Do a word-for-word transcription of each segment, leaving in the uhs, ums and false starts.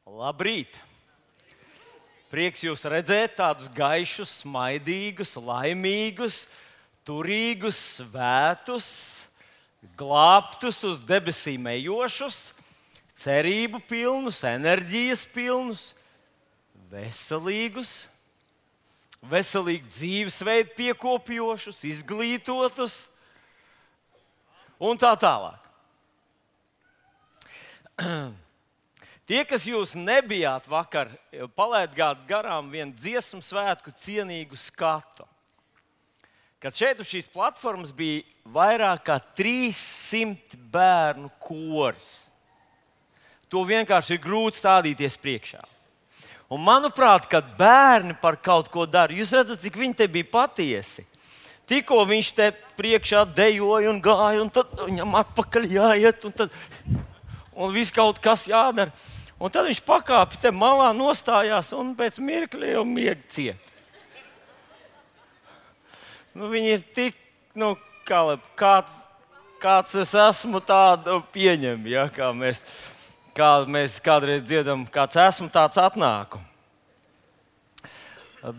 Labrīt! Prieks jūs redzēt tādus gaišus, smaidīgus, laimīgus, turīgus, svētus, glābtus, uz debesīm ejošus, cerību pilnus, enerģijas pilnus, veselīgus, veselīgu dzīvesveidu piekopjošus, izglītotus un tā tālāk. Tie, kas jūs nebijāt vakar, palaidāt garām vienu dziesmu svētku cienīgu skatu. Kad šeit uz šīs platformas bija vairāk kā trīssimt bērnu koris. To vienkārši ir grūti stādīties priekšā. Un manuprāt, kad bērni par kaut ko dara, jūs redzat, cik viņi te bija patiesi. Tikko viņš te priekšā dejoja un gāja, un tad viņam atpakaļ jāiet, un tad un viss kaut kas jādara. Un tad viņš pakāpa te malā, nostājās un pēc mirkļa jau miega ciet. Nu, viņi ir tik, nu, kā, kāds, kāds es esmu, tādu pieņem, ja, kā mēs, kā mēs kādreiz dziedam, kāds esmu, tāds atnāku.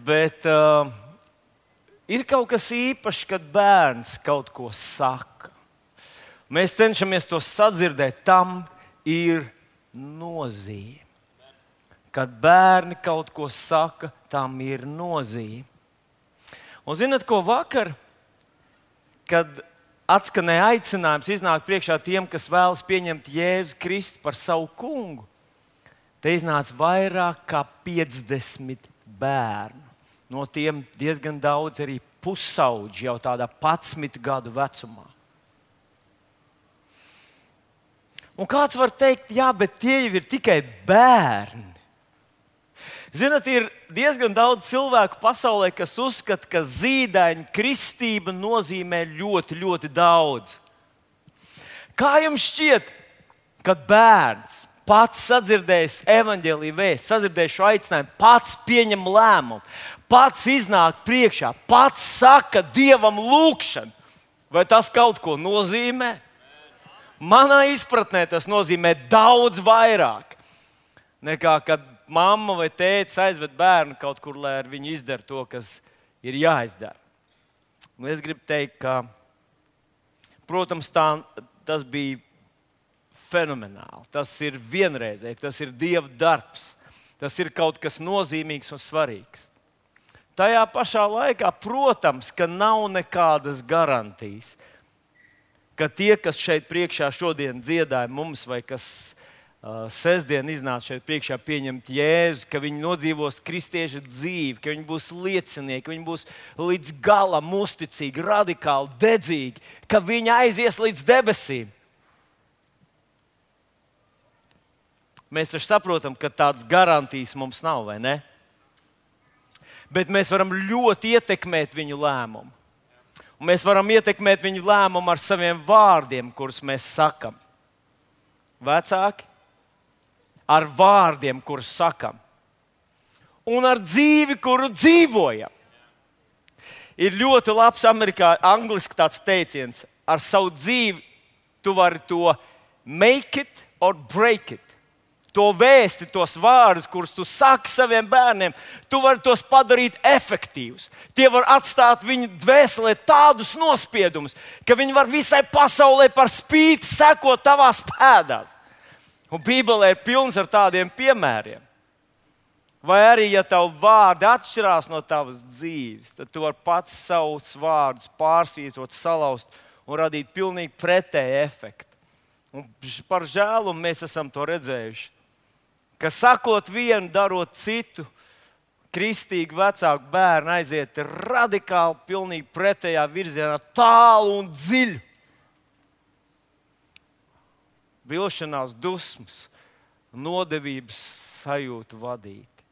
Bet uh, ir kaut kas īpašs, kad bērns kaut ko saka. Mēs cenšamies to sadzirdēt, tam ir nozīme. Kad bērni kaut ko saka, tam ir nozīme. Un zināt, ko vakar, kad atskanēja aicinājums iznākt priekšā tiem, kas vēlas pieņemt Jēzu Kristu par savu kungu, te iznāca vairāk kā piecdesmit bērnu. No tiem diezgan daudz arī pusauģi, jau tādā padsmit gadu vecumā. Un kāds var teikt, jā, bet tie jau ir tikai bērni. Zināt, ir diezgan daudz cilvēku pasaulē, kas uzskata, ka zīdaiņa kristība nozīmē ļoti, ļoti daudz. Kā jums šķiet, kad bērns pats sadzirdējis evaņģēlija vēstu, sadzirdējis šo aicinājumu, pats pieņem lēmumu, pats iznāk priekšā, pats saka Dievam lūgšanu, vai tas kaut ko nozīmē? Manā izpratnē tas nozīmē daudz vairāk nekā kad mamma vai tētis aizved bērnu kaut kur, lai ar viņu izdara to, kas ir jāizdara. Un es gribu teikt, ka, protams, tā, tas bija fenomenāli. Tas ir vienreizēji, tas ir Dieva darbs. Tas ir kaut kas nozīmīgs un svarīgs. Tajā pašā laikā, protams, ka nav nekādas garantijas, ka tie, kas šeit priekšā šodien dziedāja mums, vai kas uh, sestdien iznāca šeit priekšā pieņemt Jēzu, ka viņi nodzīvos kristieša dzīvi, ka viņi būs liecinieki, ka viņi būs līdz galam uzticīgi, radikāli, dedzīgi, ka viņi aizies līdz debesīm. Mēs taču saprotam, ka tādas garantijas mums nav, vai ne? Bet mēs varam ļoti ietekmēt viņu lēmumu. Un mēs varam ietekmēt viņu lēmumu ar saviem vārdiem, kurus mēs sakam. Vecāki, ar vārdiem, kurus sakam. Un ar dzīvi, kuru dzīvojam. Ir ļoti labs Amerikā, angliski tāds teiciens, ar savu dzīvi tu vari to make it or break it. To vēsti, tos vārdus, kurus tu saki saviem bērniem, tu vari tos padarīt efektīvus. Tie var atstāt viņu dvēselē tādus nospiedumus, ka viņi var visai pasaulē par spīti sekot tavās pēdās. Un Bībelē ir pilns ar tādiem piemēriem. Vai arī, ja tavu vārdi atšķirās no tavas dzīves, tad tu vari pats savus vārdus pārsvītrot, salauzt un radīt pilnīgi pretēju efektu. Un par žēlumu mēs esam to redzējuši. Ka sakot vienu, darot citu, kristīgi vecāku bērnu aiziet radikāli, pilnīgi pretējā virzienā, tālu un dziļu. Vilšanās, dusmas, nodevības sajūtu vadīti.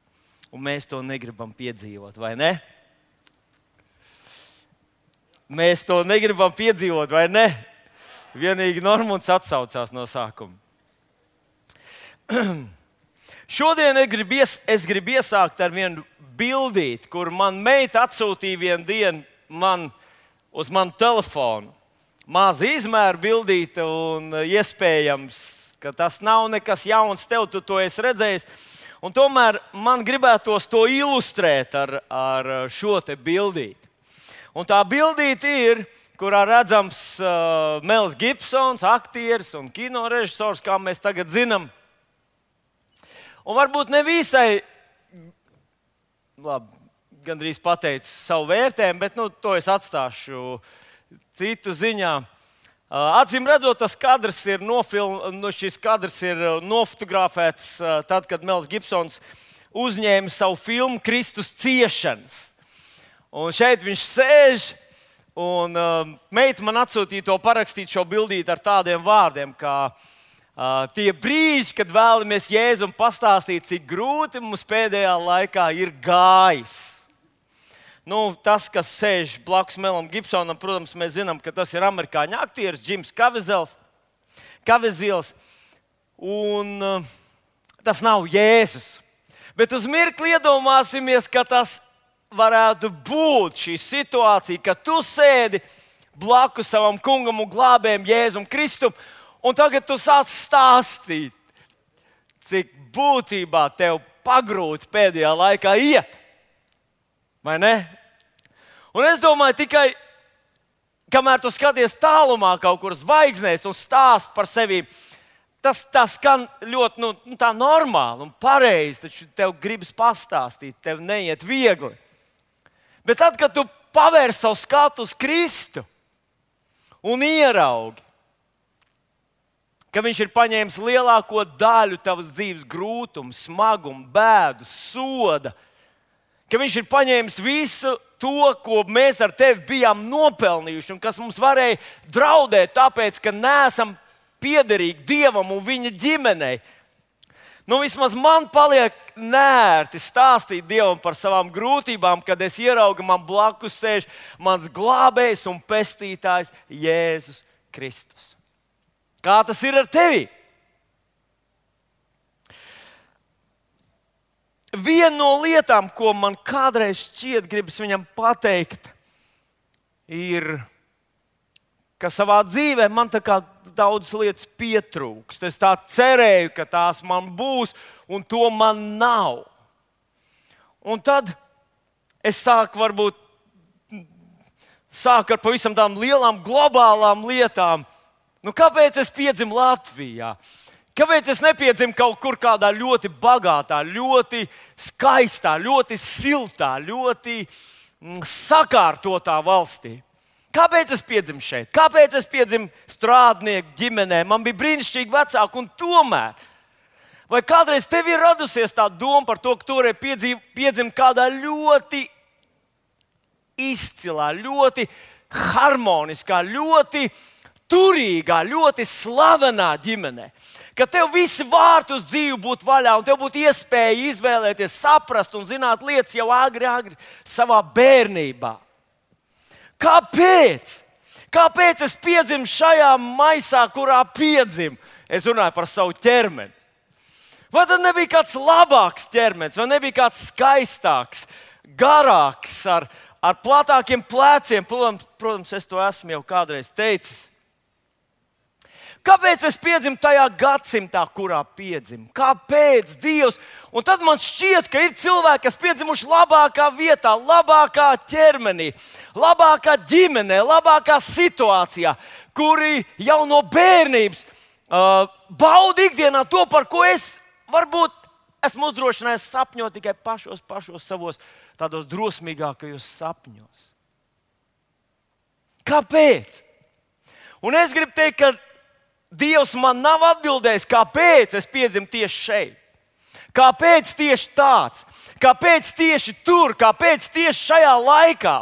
Un mēs to negribam piedzīvot, vai ne? Mēs to negribam piedzīvot, vai ne? Vienīgi Normunds atsaucās no sākuma. Šodien es gribu, ies, es gribu iesākt ar vienu bildīti, kur man meita atsūtīja vienu dienu man, uz manu telefonu. Maza izmēra bildīte un iespējams ka tas nav nekas jauns tev, tu to esi redzējis. Un tomēr man gribētos to ilustrēt ar, ar šo te bildīti. Un tā bildīte ir, kurā redzams uh, Mels Gibsons, aktieris un kinorežisors, kā mēs tagad zinām. Un varbūt ne visai, labi, gandrīz pateicu savu vērtējumu, bet nu, to es atstāšu citu ziņā. Acīm redzot, tas kadrs ir, nofilm, no šis kadrs ir nofotografēts tad, kad Mels Gibsons uzņēma savu filmu Kristus ciešanas. Un šeit viņš sēž, un uh, meita man atsūtīja to parakstīt šo bildīti ar tādiem vārdiem, kā uh, tie brīži, kad vēlamies Jēzum pastāstīt, cik grūti mums pēdējā laikā ir gājis. Nu, tas, kas sēž blakus Melam Gibsonam, protams, mēs zinām, ka tas ir amerikāņu aktieris Džims Kavizils. Un uh, tas nav Jēzus. Bet uz mirkli iedomāsimies, ka tas varētu būt šī situācija, ka tu sēdi blakus savam kungam un glābējam Jēzum Kristum, un tagad tu sāc stāstīt, cik būtībā tev pagrūti pēdējā laikā iet. Vai ne? Un es domāju, tikai kamēr tu skaties tālumā kaut kur zvaigznēs un stāst par sevi, tas, tas skan ļoti nu, tā normāli un pareizi, taču tev gribas pastāstīt, tev neiet viegli. Bet tad, kad tu pavērs savu skatu uz Kristu un ieraugi, ka viņš ir paņēmis lielāko daļu tavas dzīves grūtumu, smagumu, bēdu, soda, ka viņš ir paņēmis visu to, ko mēs ar tevi bijām nopelnījuši un kas mums varēja draudēt, tāpēc, ka neesam piederīgi Dievam un viņa ģimenei. Nu, vismaz man paliek nērti stāstīt Dievam par savām grūtībām, kad es ieraugu, man blakus sēž mans glābējs un pestītājs Jēzus Kristus. Kā tas ir ar tevi? Viena no lietām, ko man kādreiz šķiet gribas viņam pateikt, ir, ka savā dzīvē man tā kā daudzas lietas pietrūkst. Es tā cerēju, ka tās man būs, un to man nav. Un tad es sāku varbūt sāku ar pavisam tām lielām globālām lietām. Nu, kāpēc es piedzimu Latvijā? Kāpēc es nepiedzimu kaut kur kādā ļoti bagātā, ļoti skaistā, ļoti siltā, ļoti sakārtotā valstī? Kāpēc es piedzimu šeit? Kāpēc es piedzimu strādnieku ģimenē? Man bija brīnišķīgi vecāki, un tomēr. Vai kādreiz tev ir radusies tā doma par to, ka tu vari piedzimt kādā ļoti izcilā, ļoti harmoniskā, ļoti turīgā, ļoti slavenā ģimenē? Ka tev visi vārti uz dzīvi būtu vaļā, un tev būtu iespēja izvēlēties, saprast un zināt lietas jau agri, agri savā bērnībā. Kāpēc? Kāpēc es piedzimu šajā maisā, kurā piedzimu? Es runāju par savu ķermeni. Vai tad nebija kāds labāks ķermenis, vai nebija kāds skaistāks, garāks, ar, ar platākiem pleciem? Protams, protams, es to esmu jau kādreiz teicis. Kāpēc es piedzimu tajā gadsimtā, kurā piedzimu? Kāpēc Dievs? Un tad man šķiet, ka ir cilvēki, kas piedzimuši labākā vietā, labākā ķermenī, labākā ģimenē, labākā situācijā, kuri jau no bērnības uh, bauda ikdienā to, par ko es varbūt esmu uzdrošinājies sapņot tikai pašos, pašos savos tādos drosmīgākajos sapņos. Kāpēc? Un es gribu teikt, ka Dievs man nav atbildējis, kāpēc es piedzimu tieši šeit. Kāpēc tieši tāds? Kāpēc tieši tur? Kāpēc tieši šajā laikā?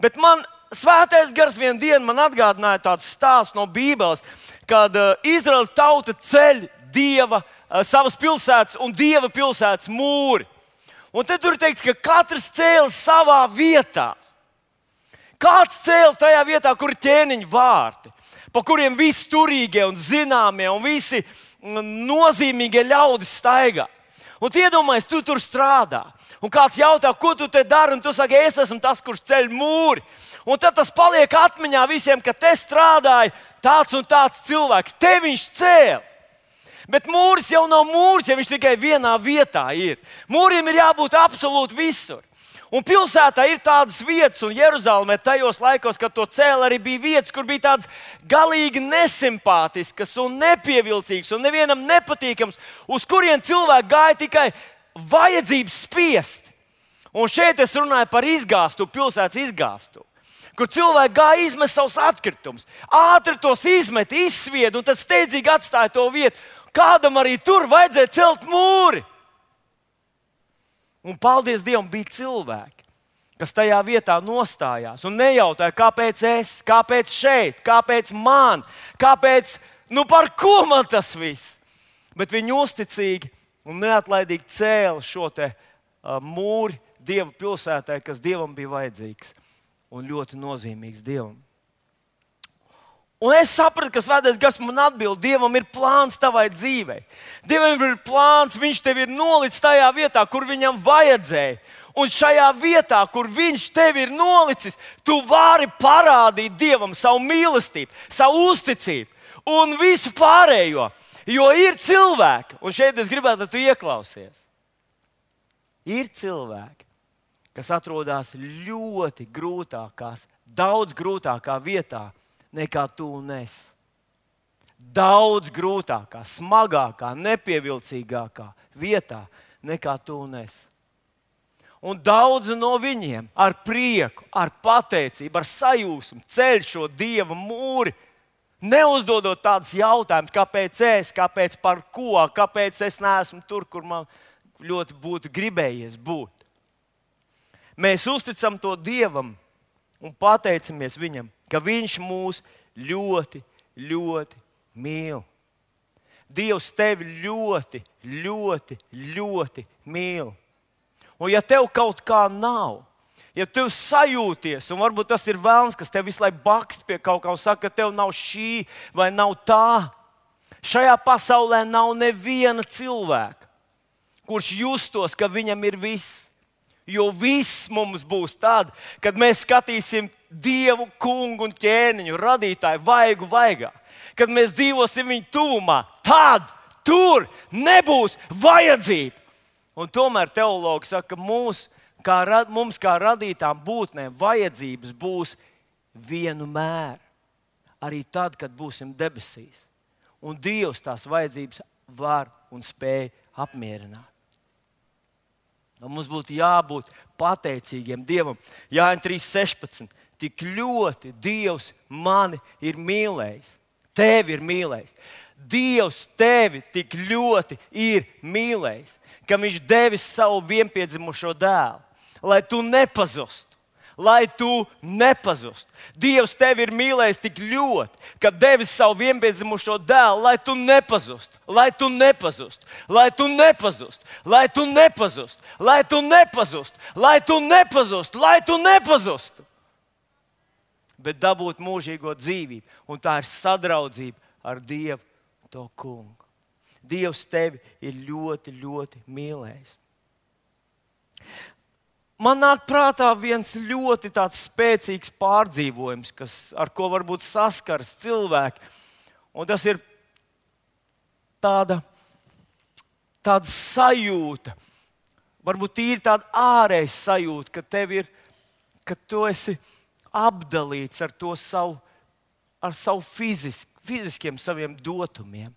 Bet man Svētais Gars vienu dienu man atgādināja tāds stāsts no Bībeles, kad uh, Izraēla tauta ceļ Dieva, uh, savas pilsētas un Dieva pilsētas mūri. Un te tur ir teikts, ka katrs cēla savā vietā. Kāds cēla tajā vietā, kur ir ķēniņa vārti, pa kuriem visi turīgie un zināmie un visi nozīmīgie ļaudis staigā. Un tu iedomājies, tu tur strādā. Un kāds jautā, ko tu te dari, un tu saki, es esmu tas, kurš ceļ mūri. Un tad tas paliek atmiņā visiem, ka te strādāja tāds un tāds cilvēks, te viņš cēla. Bet mūris jau nav mūris, ja viņš tikai vienā vietā ir. Mūrim ir jābūt absolūti visur. Un pilsētā ir tādas vietas, un Jeruzalemē tajos laikos, kad to cēla, arī bija vietas, kur bija tādas galīgi nesimpātiskas un nepievilcīgas un nevienam nepatīkams, uz kurien cilvēki gāja tikai vajadzības spiest. Un šeit es runāju par izgāstu, pilsētas izgāstu, kur cilvēki gāja izmest savus atkritumus, ātri tos izmet, izsvied un tad steidzīgi atstāja to vietu. Kādam arī tur vajadzēja celt mūri. Un paldies Dievam, bija cilvēki, kas tajā vietā nostājās un nejautāja, kāpēc es, kāpēc šeit, kāpēc man, kāpēc, nu par ko man tas viss. Bet viņi uzticīgi un neatlaidīgi cēla šo te uh, mūri Dieva pilsētai, kas Dievam bija vajadzīgs un ļoti nozīmīgs Dievam. Un es sapratu, ka Svētais Gars man atbild, Dievam ir plāns tavai dzīvei. Dievam ir plāns, viņš tevi ir nolicis tajā vietā, kur viņam vajadzēja. Un šajā vietā, kur viņš tevi ir nolicis, tu vari parādīt Dievam savu mīlestību, savu uzticību un visu pārējo. Jo ir cilvēki, un šeit es gribētu, lai tu ieklausies. Ir cilvēki, kas atrodas ļoti grūtākās, daudz grūtākā vietā, nekā tu un es. Daudz grūtākā, smagākā, nepievilcīgākā vietā nekā tu un es. Un daudzi no viņiem ar prieku, ar pateicību, ar sajūsmu ceļ šo Dieva mūri, neuzdodot tādus jautājumus, kāpēc es, kāpēc par ko, kāpēc es neesmu tur, kur man ļoti būtu gribējies būt. Mēs uzticam to Dievam un pateicamies viņam, ka viņš mūs ļoti, ļoti mīl. Dievs tevi ļoti, ļoti, ļoti mīl. Un ja tev kaut kā nav, ja tev sajūties, un varbūt tas ir velns, kas tev visu laiku bakst pie kaut kā un saka, ka tev nav šī vai nav tā, šajā pasaulē nav neviena cilvēka, kurš justos, ka viņam ir viss. Jo viss mums būs tad, kad mēs skatīsim Dievu, kungu un ķēniņu, radītāju, vaigu vaigā. Kad mēs dzīvosim viņa tuvumā, tad tur nebūs vajadzība. Un tomēr teologi saka, ka mūs, kā, mums kā radītām būtnēm vajadzības būs vienmēr. Arī tad, kad būsim debesīs. Un Dievs tās vajadzības var un spēj apmierināt. Un mums būtu jābūt pateicīgiem Dievam. Jāņa trīs sešpadsmit. Tik ļoti Dievs mani ir mīlējis. Tevi ir mīlējis. Dievs tevi tik ļoti ir mīlējis, ka viņš devis savu vienpiedzimušo dēlu, lai tu nepazustu. Lai tu nepazustu. Dievs tevi ir mīlējis tik ļoti, ka devis savu vienpiedzimušo dēlu, lai tu nepazustu, lai tu nepazustu, lai tu nepazustu, lai tu nepazustu, lai tu nepazustu, lai tu nepazustu, lai tu nepazustu. Bet dabūt mūžīgo dzīvību, un tā ir sadraudzība ar Dievu, to kungu. Dievs tevi ir ļoti, ļoti mīlējis. Man nāk prātā viens ļoti tāds spēcīgs pārdzīvojums, kas, ar ko varbūt saskars cilvēki. Un tas ir tāda, tāda sajūta, varbūt tīri tāda ārēja sajūta, ka tev ir, ka tu esi apdalīts ar to savu, ar savu fizisk, fiziskiem saviem dotumiem.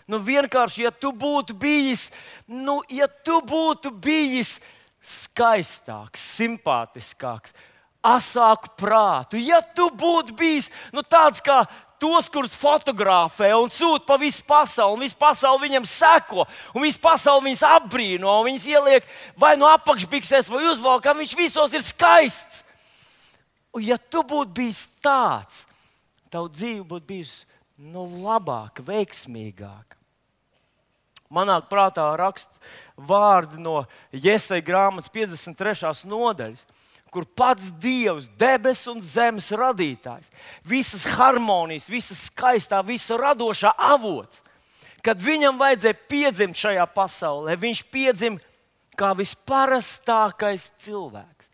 Nu vienkārši, ja tu būtu bijis, nu, ja tu būtu bijis skaistāks, simpātiskāks, asāku prātu. Ja tu būtu bijis nu, tāds kā tos, kurus fotografē un sūta pa visu pasauli, un visu pasauli viņam seko, un visu pasauli viņus apbrīno, un viņus ieliek vai no apakšbiksēs, vai uzvalkā, viņš visos ir skaists. Un ja tu būtu bijis tāds, tavu dzīve būtu bijusi nu, labāka, veiksmīgāka. Manāk prātā rakst vārdi no Jesaja grāmatas piecdesmit trešās nodaļas, kur pats Dievs, debes un zemes radītājs, visas harmonijas, visas skaistā, visa radošā avots, kad viņam vajadzēja piedzimt šajā pasaulē, viņš piedzim kā visparastākais cilvēks.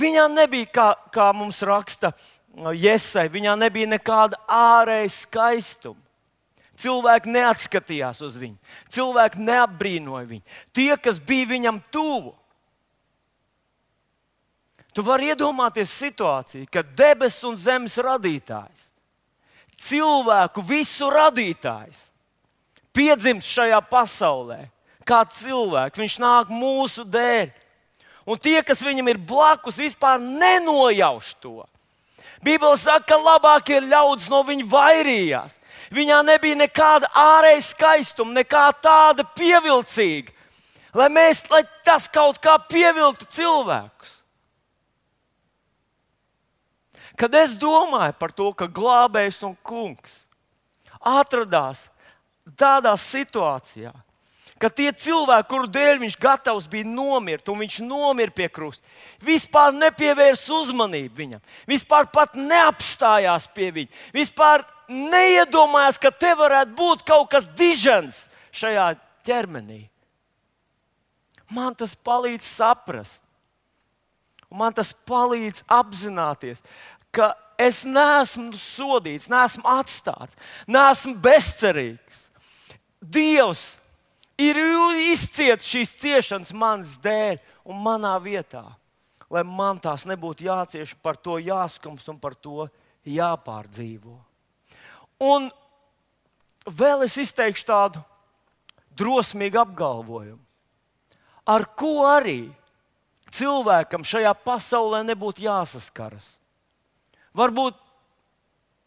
Viņam nebija, kā, kā mums raksta Jesai, viņā nebija nekāda ārēja skaistuma. Cilvēki neatskatījās uz viņu, cilvēki neapbrīnoja viņu. Tie, kas bija viņam tuvu. Tu vari iedomāties situāciju, kad debesu un zemes radītājs, cilvēku visu radītājs, piedzimst šajā pasaulē kā cilvēks. Viņš nāk mūsu dēļ. Un tie, kas viņam ir blakus, vispār nenojauš to. Bībele saka, ka labākie ļaudis no viņa vairījās. Viņā nebija nekāda ārēja skaistuma, nekā tāda pievilcīga, lai, mēs, lai tas kaut kā pievilktu cilvēkus. Kad es domāju par to, ka glābējs un kungs atradās tādā situācijā, ka tie cilvēki, kuru dēļ viņš gatavs bija nomirt, un viņš nomira pie krusta, vispār nepievērs uzmanību viņam, vispār pat neapstājās pie viņa, vispār neiedomājās, ka te varētu būt kaut kas dižens šajā ķermenī. Man tas palīdz saprast, un man tas palīdz apzināties, ka es neesmu sodīts, neesmu atstāts, neesmu bezcerīgs. Dievs ir izcietis šīs ciešanas manas dēļ un manā vietā, lai man tās nebūtu jācieš, par to jāskums un par to jāpārdzīvo. Un vēl es izteikšu tādu drosmīgu apgalvojumu, ar ko arī cilvēkam šajā pasaulē nebūtu jāsaskaras. Varbūt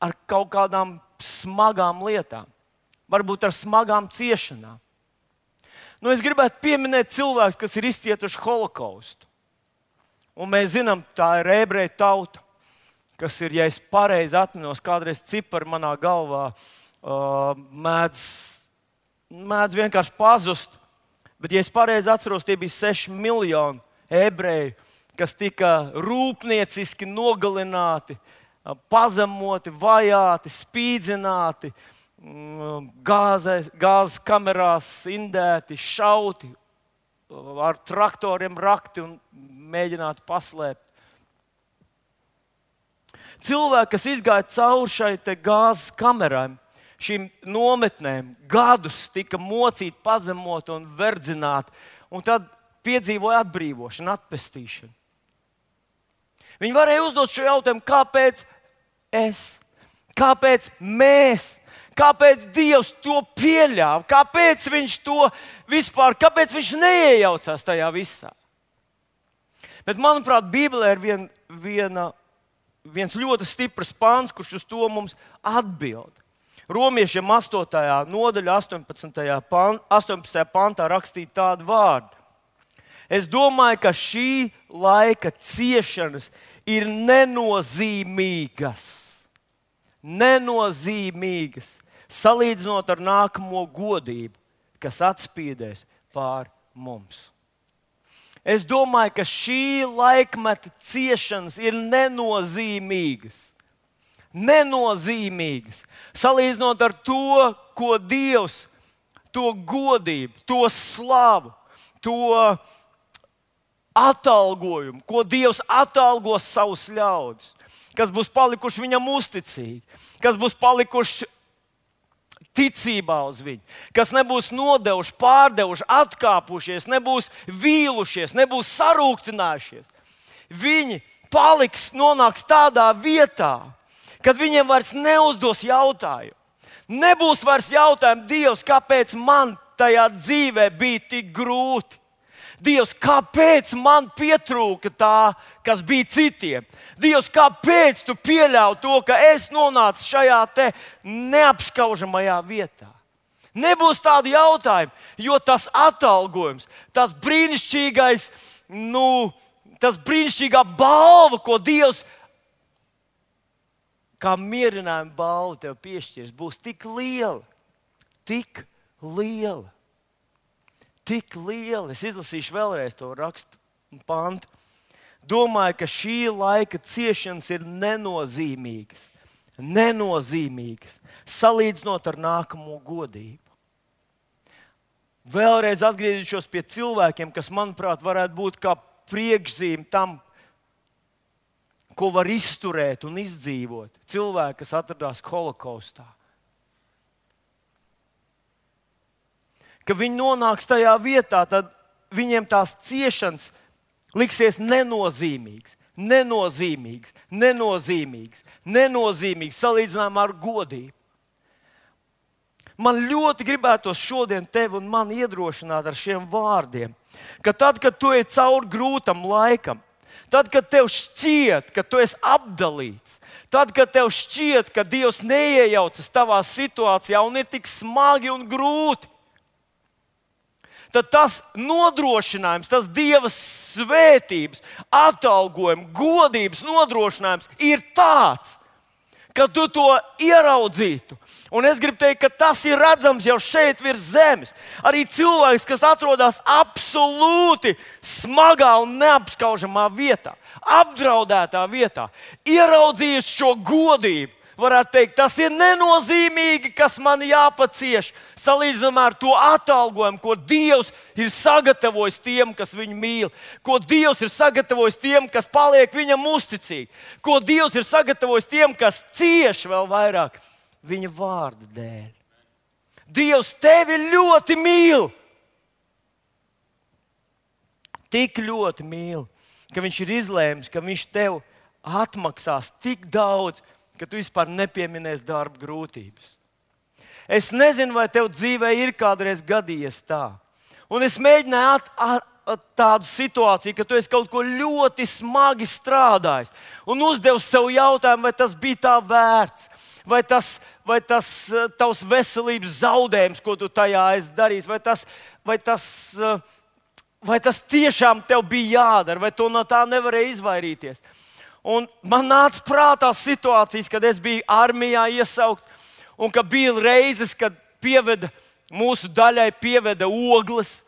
ar kaut kādām smagām lietām, varbūt ar smagām ciešanām. Nu, es gribētu pieminēt cilvēkus, kas ir izcietuši holokaustu. Un mēs zinām, tā ir ebreju tauta, kas ir, ja es pareizi atminos, kādreiz cipari manā galvā uh, mēdz, mēdz vienkārši pazust. Bet, ja es pareizi atceros, tie bija seši miljoni ebreju, kas tika rūpnieciski nogalināti, pazemoti, vajāti, spīdzināti, gāzes, gāzes kamerās indēti, šauti, ar traktoriem rakti un mēģināti paslēpt. Cilvēki, kas izgāja cauri šai te gāzes kamerām, šīm nometnēm, gadus tika mocīti, pazemoti un verdzināti, un tad piedzīvoja atbrīvošanu, atpestīšanu. Viņi varēja uzdot šo jautājumu, kāpēc es, kāpēc mēs, kāpēc Dievs to pieļāva, kāpēc viņš to vispār, kāpēc viņš neiejaucās tajā visā. Bet, manuprāt, Bībelē ir vien, viena, viens ļoti stiprs pāns, kurš uz to mums atbild. Romiešiem astotajā nodaļā, astoņpadsmitajā pantā rakstīja tādu vārdu. Es domāju, ka šī laika ciešanas ir nenozīmīgas. Nenozīmīgas. Salīdzinot ar nākamo godību, kas atspīdēs pār mums. Es domāju, ka šī laikmeta ciešanas ir nenozīmīgas. Nenozīmīgas. Salīdzinot ar to, ko Dievs, to godību, to slavu, to atalgojumu, ko Dievs atalgos savus ļaudis, kas būs palikuši viņam uzticīgi, kas būs palikuši ticībā uz viņu, kas nebūs nodevuši, pārdevuši, atkāpušies, nebūs vīlušies, nebūs sarūktinājušies. Viņi paliks, nonāks tādā vietā, kad viņiem vairs neuzdos jautājumu. Nebūs vairs jautājumu, Dievs, kāpēc man tajā dzīvē bija tik grūti? Dievs, kāpēc man pietrūka tā, kas bija citiem? Dievs, kāpēc tu pieļauj to, ka es nonācu šajā te neapskaužamajā vietā? Nebūs tādu jautājumu, jo tas atalgojums, tas brīnišķīgais, nu, tas brīnišķīgā balva, ko Dievs kā mierinājuma balva tev piešķirs, būs tik liela, tik liela. Tik liela. Es izlasīšu vēlreiz to rakstu un pantu. Domāju, ka šī laika ciešanas ir nenozīmīgas. Nenozīmīgas. Salīdzinot ar nākamo godību. Vēlreiz atgriezīšos pie cilvēkiem, kas, manuprāt, varētu būt kā priekšzīme tam, ko var izturēt un izdzīvot cilvēki, kas atradās holokaustā. Kad viņi nonāks tajā vietā, tad viņiem tās ciešanas liksies nenozīmīgas, nenozīmīgas, nenozīmīgas, nenozīmīgas salīdzinājumā ar godību. Man ļoti gribētos šodien tevi un mani iedrošināt ar šiem vārdiem, ka tad, kad tu ej cauri grūtam laikam, tad, kad tev šķiet, ka tu esi apdalīts, tad, kad tev šķiet, ka Dievs neiejaucas tavā situācijā un ir tik smagi un grūti, tad tas nodrošinājums, tas Dieva svētības, atalgojuma, godības nodrošinājums ir tāds, ka tu to ieraudzītu. Un es gribu teikt, ka tas ir redzams jau šeit virs zemes. Arī cilvēks, kas atrodas absolūti smagā un neapskaužamā vietā, apdraudētā vietā, ieraudzījis šo godību, varētu teikt, tas ir nenozīmīgi, kas man jāpacieš, salīdzinājumā ar to atalgojumu, ko Dievs ir sagatavojis tiem, kas viņu mīl, ko Dievs ir sagatavojis tiem, kas paliek viņam uzticīgi, ko Dievs ir sagatavojis tiem, kas cieš vēl vairāk viņa vārda dēļ. Dievs tevi ļoti mīl. Tik ļoti mīl, ka viņš ir izlēmis, ka viņš tev atmaksās tik daudz, ka tu vispār nepieminēsi darba grūtības. Es nezinu, vai tev dzīvē ir kādreiz gadījies tā. Un es mēģināju at, at, at tādu situāciju, ka tu esi kaut ko ļoti smagi strādājis un uzdevi sev jautājumu, vai tas bija tā vērts, vai tas, vai tas tavs veselības zaudējums, ko tu tajā esi darījis, vai tas, vai tas, vai tas tiešām tev bija jādara, vai tu no tā nevarēji izvairīties. Un man nāca prātā situācijas, kad es biju armijā iesaukts, un ka bija reizes, kad pieveda, mūsu daļai pieveda ogles,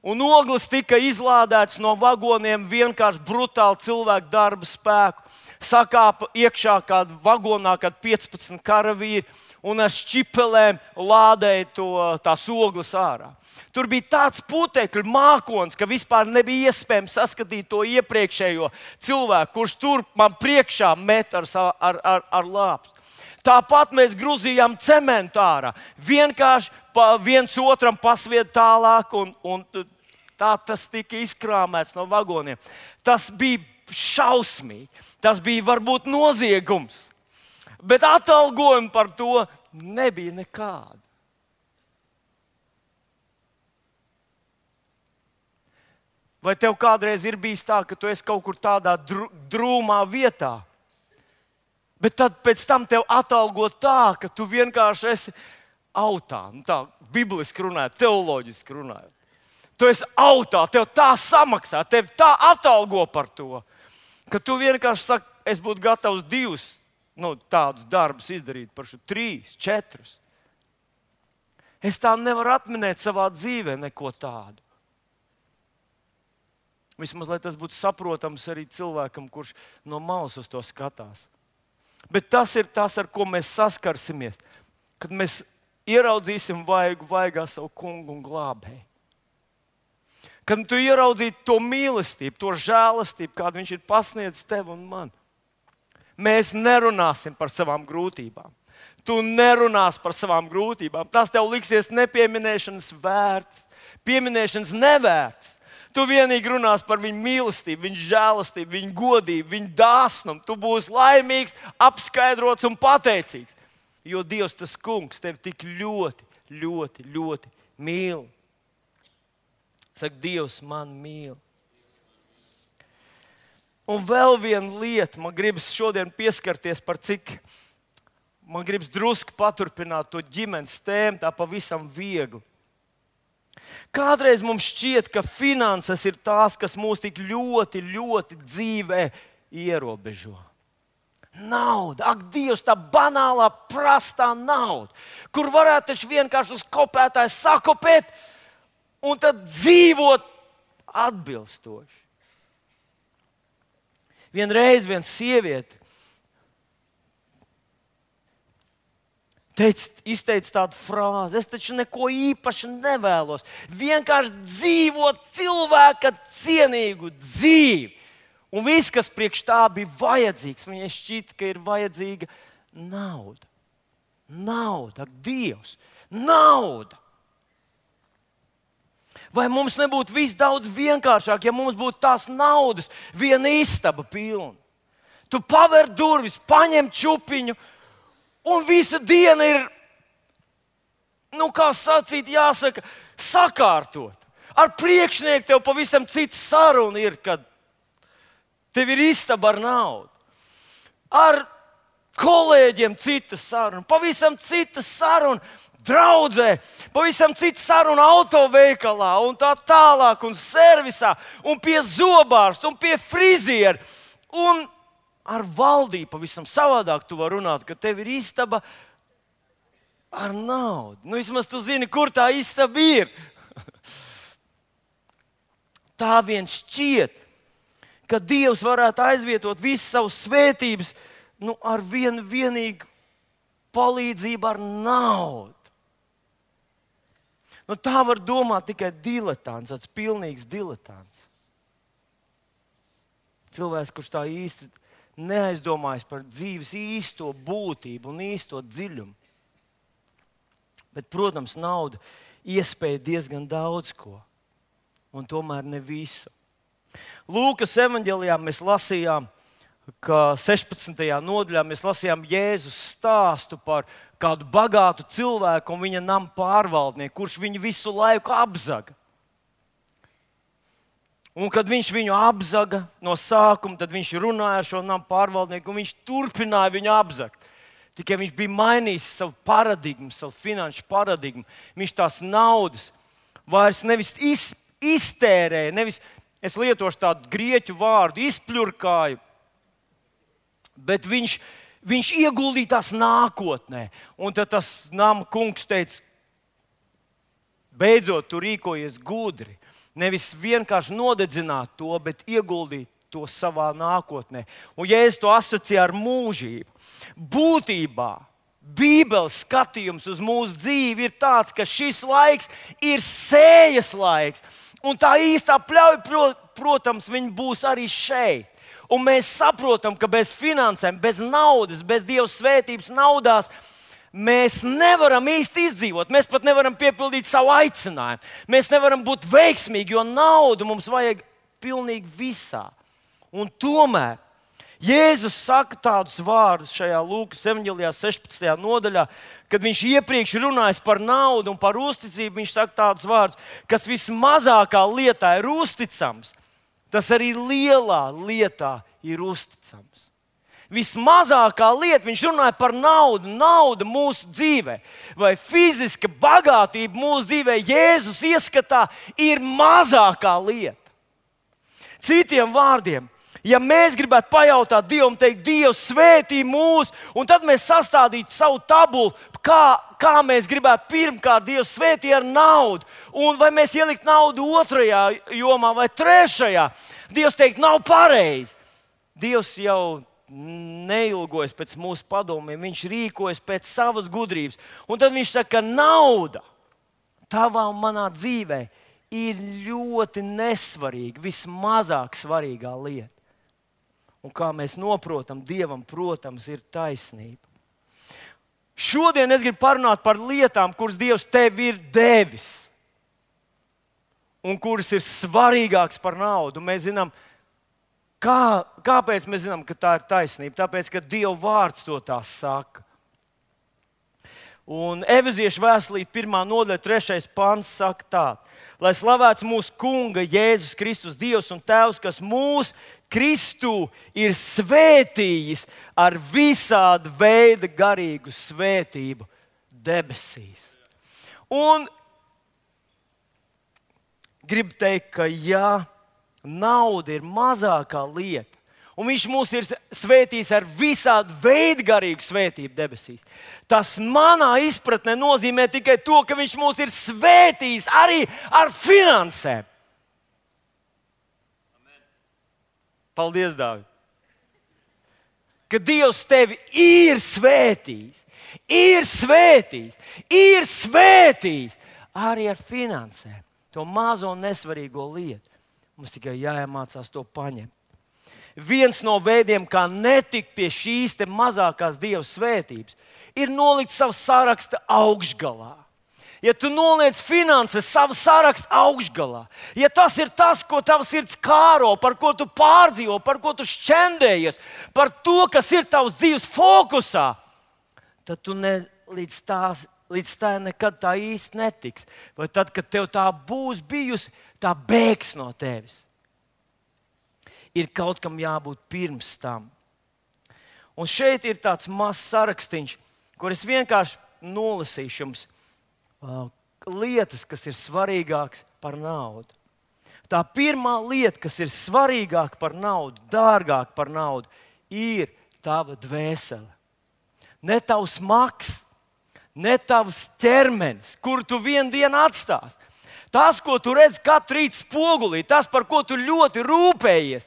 un ogles tika izlādētas no vagoniem vienkārši brutāli cilvēku darba spēku. Sakāpa iekšā kādā vagonā, kad piecpadsmit karavīri, un ar šķipelēm lādēja to, tās ogles ārā. Tur bija tāds putekļu mākons, ka vispār nebija iespējams saskatīt to iepriekšējo cilvēku, kurš tur man priekšā met ar, ar, ar, ar lāpstu. Tāpat mēs grūzījām cementu ārā. Vienkārši pa viens otram pasvied tālāk, un, un tā tas tika izkrāmēts no vagoniem. Tas bija šausmīgi. Tas bija varbūt noziegums, bet atalgojumi par to nebija nekāda. Vai tev kādreiz ir bijis tā, ka tu esi kaut kur tādā drūmā vietā, bet tad pēc tam tev atalgo tā, ka tu vienkārši esi autā, nu tā bibliski runājot, teoloģiski runājot. Tu esi autā, tev tā samaksā, tev tā atalgo par to, ka tu vienkārši saki, es būtu gatavs divus nu, tādus darbus izdarīt par šo trīs, četrus. Es tā nevaru atminēt savā dzīvē neko tādu. Vismaz, lai tas būtu saprotams arī cilvēkam, kurš no malas uz to skatās. Bet tas ir tas, ar ko mēs saskarsimies, kad mēs ieraudzīsim vaigu vaigā savu kungu un glābēju. Kad tu ieraudzītu to mīlestību, to žēlastību, kādu viņš ir pasniedzis tev un man. Mēs nerunāsim par savām grūtībām. Tu nerunās par savām grūtībām. Tas tev liksies nepieminēšanas vērts, pieminēšanas nevērts. Tu vienīgi runās par viņu mīlestību, viņu žēlastību, viņu godību, viņu dāsnumu. Tu būsi laimīgs, apskaidrots un pateicīgs. Jo Dievs, tas kungs, tevi tik ļoti, ļoti, ļoti mīl. Saka, Dievs man mīl. Un vēl viena lieta, man gribas šodien pieskarties par cik, man gribas drusku paturpināt to ģimenes tēmu, tā pavisam viegli. Kādreiz mums šķiet, ka finanses ir tās, kas mūs tik ļoti, ļoti dzīvē ierobežo. Nauda, ak, Dievs, tā banālā, prastā nauda, kur varētu taču vienkārši uz kopētāju sakopēt un tad dzīvot atbilstoši. Vienreiz viena sieviete teica, izteica tādu frāzi, es taču neko īpaši nevēlos, vienkārši dzīvot cilvēka cienīgu dzīvi. Un viss, kas priekš tā bija vajadzīgs, viņai šķita, ka ir vajadzīga nauda. Nauda, ak, Dievs, nauda! Vai mums nebūtu viss daudz vienkāršāk, ja mums būtu tās naudas viena istaba pilna? Tu paver durvis, paņem čupiņu, un visa diena ir, nu kā sacīt, jāsaka, sakārtot. Ar priekšnieku tev pavisam cita saruna ir, kad tev ir istaba ar naudu. Ar kolēģiem cita saruna, pavisam cita saruna. Draudzē, pavisam cita saruna autoveikalā, un tā tālāk, un servisā, un pie zobārsta, un pie friziera. Un ar valdību pavisam savādāk tu vari runāt, ka tev ir istaba ar naudu. Nu, vismaz tu zini, kur tā istaba ir. Tā vien šķiet, ka Dievs varētu aizvietot visas savas svētības nu, ar vienu vienīgu palīdzību ar naudu. Nu, tā var domāt tikai diletants, tāds pilnīgs diletants. Cilvēks, kurš tā īsti neaizdomājas par dzīves īsto būtību un īsto dziļumu. Bet, protams, nauda iespēja diezgan daudz ko, un tomēr ne visu. Lūkas evaņģelijā mēs lasījām, ka sešpadsmitajā nodaļā mēs lasījām Jēzus stāstu par kādu bagātu cilvēku un viņa nama pārvaldnieku, kurš viņu visu laiku apzaga. Un kad viņš viņu apzaga no sākuma, tad viņš runāja ar šo nama pārvaldnieku un viņš turpināja viņu apzagt. Tikai viņš bija mainījis savu paradigmu, savu finanšu paradigmu. Viņš tās naudas vairs nevis iz, iztērēja, nevis, es lietošu tādu grieķu vārdu, izpļurkāju, bet viņš, viņš ieguldīja tās nākotnē. Un tad tas nama kungs teica, beidzot, tu rīkojies gudri. Nevis vienkārši nodedzināt to, bet ieguldīt to savā nākotnē. Un ja es to asociēju ar mūžību, būtībā Bībeles skatījums uz mūsu dzīvi ir tāds, ka šis laiks ir sējas laiks. Un tā īstā pļauja, protams, viņa būs arī šeit. Un mēs saprotam, ka bez finansēm, bez naudas, bez Dieva svētības naudās mēs nevaram īsti izdzīvot. Mēs pat nevaram piepildīt savu aicinājumu. Mēs nevaram būt veiksmīgi, jo naudu mums vajag pilnīgi visā. Un tomēr Jēzus saka tādus vārdus šajā Lūkas evaņģelijā sešpadsmitajā nodaļā, kad viņš iepriekš runājis par naudu un par uzticību. Viņš saka tādus vārdus, kas vismazākā lietā ir uzticams, tas arī lielā lietā ir uzticams. Vismazākā lieta, viņš runāja par naudu, nauda mūsu dzīvē, vai fiziska bagātība mūsu dzīvē, Jēzus ieskatā, ir mazākā lieta. Citiem vārdiem, ja mēs gribētu pajautāt Dievam, teikt, Dievs svētī mūs, un tad mēs sastādītu savu tabulu, kā, kā mēs gribētu pirmkārt Dievs svētī ar naudu, un vai mēs ielikt naudu otrajā jomā vai trešajā, Dievs teikt, nav pareizi. Dievs jau neilgojas pēc mūsu padomiem, viņš rīkojas pēc savas gudrības. Un tad viņš saka, ka nauda tavā un manā dzīvē ir ļoti nesvarīga, vismazāk svarīgā lieta. Un kā mēs noprotam, Dievam, protams, ir taisnība. Šodien es gribu parunāt par lietām, kuras Dievs tev ir devis un kuras ir svarīgākas par naudu. Mēs zinām, kā, kāpēc mēs zinām, ka tā ir taisnība? Tāpēc, ka Dieva vārds to tā saka. Un Efeziešu vēstulīte pirmā nodaļa, trešais pants saka tā: lai slavēts mūsu Kunga Jēzus Kristus, Dievs un Tēvs, kas mūs Kristu ir svētījis ar visādu veidu garīgu svētību debesīs. Un gribu teikt, ka ja nauda ir mazākā lieta, un viņš mūs ir svētījis ar visādu veidu garīgu svētību debesīs, tas manā izpratnē nozīmē tikai to, ka viņš mūs ir svētījis arī ar finansēm. Paldies, Dāvid! Ka Dievs tevi ir svētījis, ir svētījis, ir svētījis arī ar finansēm. To mazo un nesvarīgo lietu. Mums tikai jāiemācās to paņemt. viens no veidiem, kā netikt pie šīs te mazākās Dieva svētības, ir nolikt savu sarakstu augšgalā. Ja tu noliec finanses savu sarakstu augšgalā, ja tas ir tas, ko tavs sirds kāro, par ko tu pārdzīvo, par ko tu šķendējies, par to, kas ir tavs dzīves fokusā, tad tu ne, līdz, tās, līdz tā nekad tā īsti netiks. Vai tad, kad tev tā būs bijusi, tā bēgs no tevis. Ir kaut kam jābūt pirms tam. Un šeit ir tāds mazs sarakstīns, kur es vienkārši nolasīšu jums uh, lietas, kas ir svarīgākas par naudu. Tā pirmā lieta, kas ir svarīgāka par naudu, dārgāka par naudu, ir tava dvēsele. Ne tavs maks, ne tavs ķermenis, kuru tu vienu dienu atstāsi. Tas, ko tu redz katru rītu spogulī, tas, par ko tu ļoti rūpējies,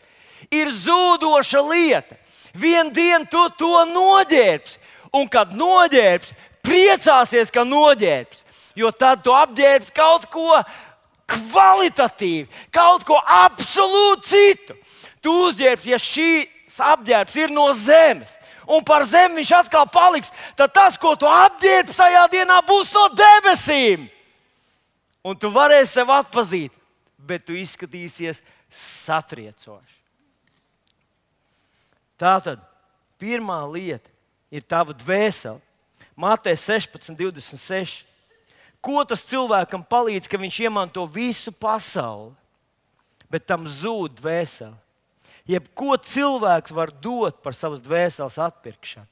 ir zūdoša lieta. Vienu dienu tu to noģērbsi, un kad noģērbsi, priecāsies, ka noģērbsi, jo tad tu apģērbsi kaut ko kvalitatīvu, kaut ko absolūti citu. Tu uzģērbsi, ja šīs apģērbs ir no zemes, un par zemi viņš atkal paliks, tad tas, ko tu apģērbsi tajā dienā, būs no debesīm. Un tu varēsi sev atpazīt, bet tu izskatīsies satriecoši. Tātad pirmā lieta ir tava dvēsele. Mateja sešpadsmit, divdesmit seši. Ko tas cilvēkam palīdz, ka viņš iemanto visu pasauli, bet tam zūd dvēsele? Jebko cilvēks var dot par savas dvēseles atpirkšanu.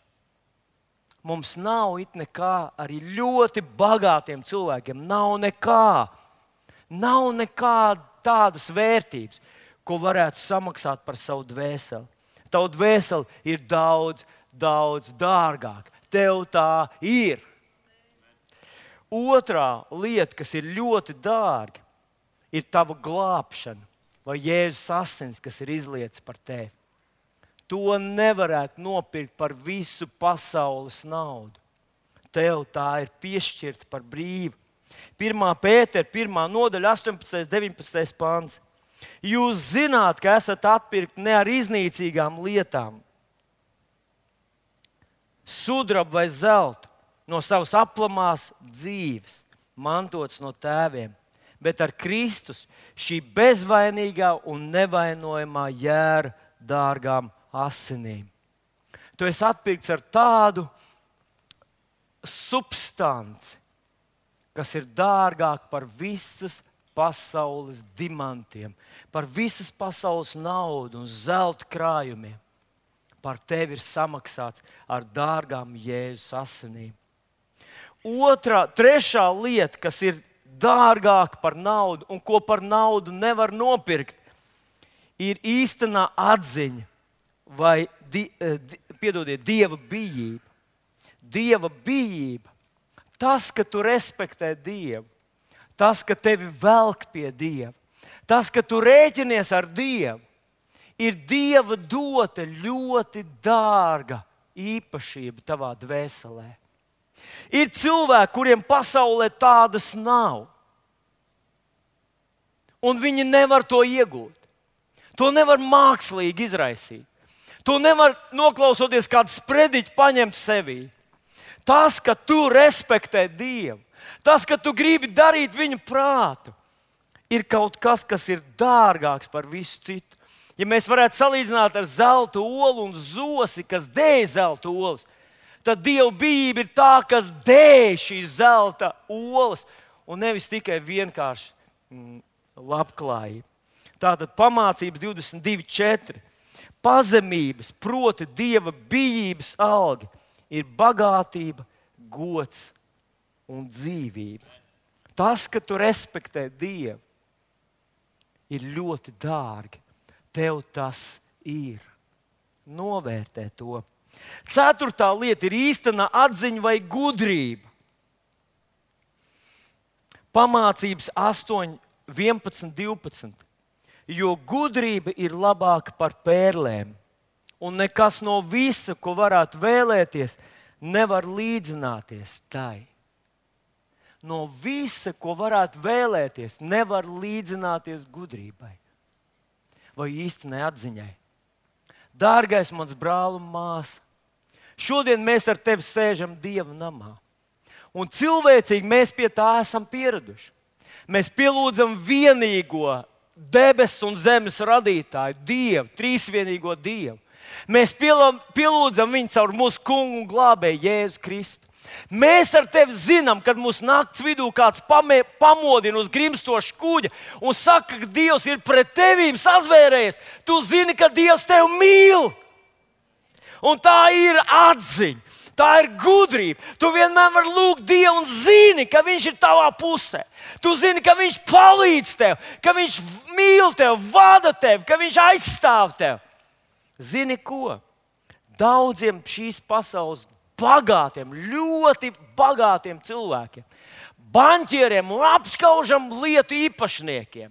Mums nav it nekā, arī ļoti bagātiem cilvēkiem nav nekā. Nav nekā tādas vērtības, ko varētu samaksāt par savu dvēseli. Tavu dvēseli ir daudz, daudz dārgāk. Tev tā ir. Otrā lieta, kas ir ļoti dārga, ir tava glābšana vai Jēzus asins, kas ir izlietas par tevi. To nevarētu nopirkt par visu pasaules naudu. Tev tā ir piešķirta par brīvu. pirmā Pētera, pirmā nodaļa, astoņpadsmitais, deviņpadsmitais pants. Jūs zināt, ka esat atpirkti ne ar iznīcīgām lietām, sudrabu vai zeltu, no savas aplamās dzīves, mantots no tēviem, bet ar Kristus šī bezvainīgā un nevainojamā jēra dārgām asinīm. Tu esi atpirkts ar tādu substanci, kas ir dārgāk par visas pasaules dimantiem, par visas pasaules naudu un zelta krājumiem. Par tevi ir samaksāts ar dārgām Jēzus asinīm. Otrā, trešā lieta, kas ir dārgāka par naudu un ko par naudu nevar nopirkt, ir īstenā atziņa vai di, di, piedodiet, Dieva bijība. Dieva bijība. Tas, ka tu respektē Dievu, tas, ka tevi velk pie Dieva, tas, ka tu rēķinies ar Dievu, ir Dieva dota ļoti dārga īpašība tavā dvēselē. Ir cilvēki, kuriem pasaulē tādas nav, un viņi nevar to iegūt. To nevar mākslīgi izraisīt. To nevar noklausoties kādu sprediķu paņemt sevī. Tas, ka tu respektē Dievu, tas, ka tu gribi darīt viņa prātu, ir kaut kas, kas ir dārgāks par visu citu. Ja mēs varētu salīdzināt ar zelta olu un zosi, kas dēj zelta olas, tad Dieva bijība ir tā, kas dēj šīs zelta olas, un nevis tikai vienkārši mm, labklājība. Tātad pamācības divdesmit divi četri. Pazemības, proti Dieva bijības alga, ir bagātība, gods un dzīvība. Tas, ka tu respektē Dievu, ir ļoti dārgi. Tev tas ir. Novērtē to. Ceturtā lieta ir īstenā atziņa vai gudrība. Pamācības astoņi, vienpadsmit, divpadsmit. Jo gudrība ir labāka par pērlēm, un nekas no visa, ko varētu vēlēties, nevar līdzināties tai. No visa, ko varētu vēlēties, nevar līdzināties gudrībai vai īstenai atziņai. Dārgais mans brāl un māsa, šodien mēs ar tevi sēžam Dieva namā. Un cilvēcīgi mēs pie tā esam pieraduši. Mēs pielūdzam vienīgo debesu un zemes radītāju, Dievu, trīsvienīgo Dievu. Mēs pielūdzam viņu caur mūsu kungu un glābēju Jēzu Kristu. Mēs ar tevi zinām, kad mūsu nakts vidū kāds pamē, pamodina uz grimstoša kuģa un saka, ka Dievs ir pret tevīm sazvērējies. Tu zini, ka Dievs tevi mīl. Un tā ir atziņa, tā ir gudrība. Tu vienmēr vari lūgt Dievu un zini, ka Viņš ir tavā pusē. Tu zini, ka Viņš palīdz tev, ka Viņš mīl tevi, vada tevi, ka Viņš aizstāv tevi. Zini ko? Daudziem šīs pasaules bagātiem, ļoti bagātiem cilvēkiem, banķieriem un apskaužam lietu īpašniekiem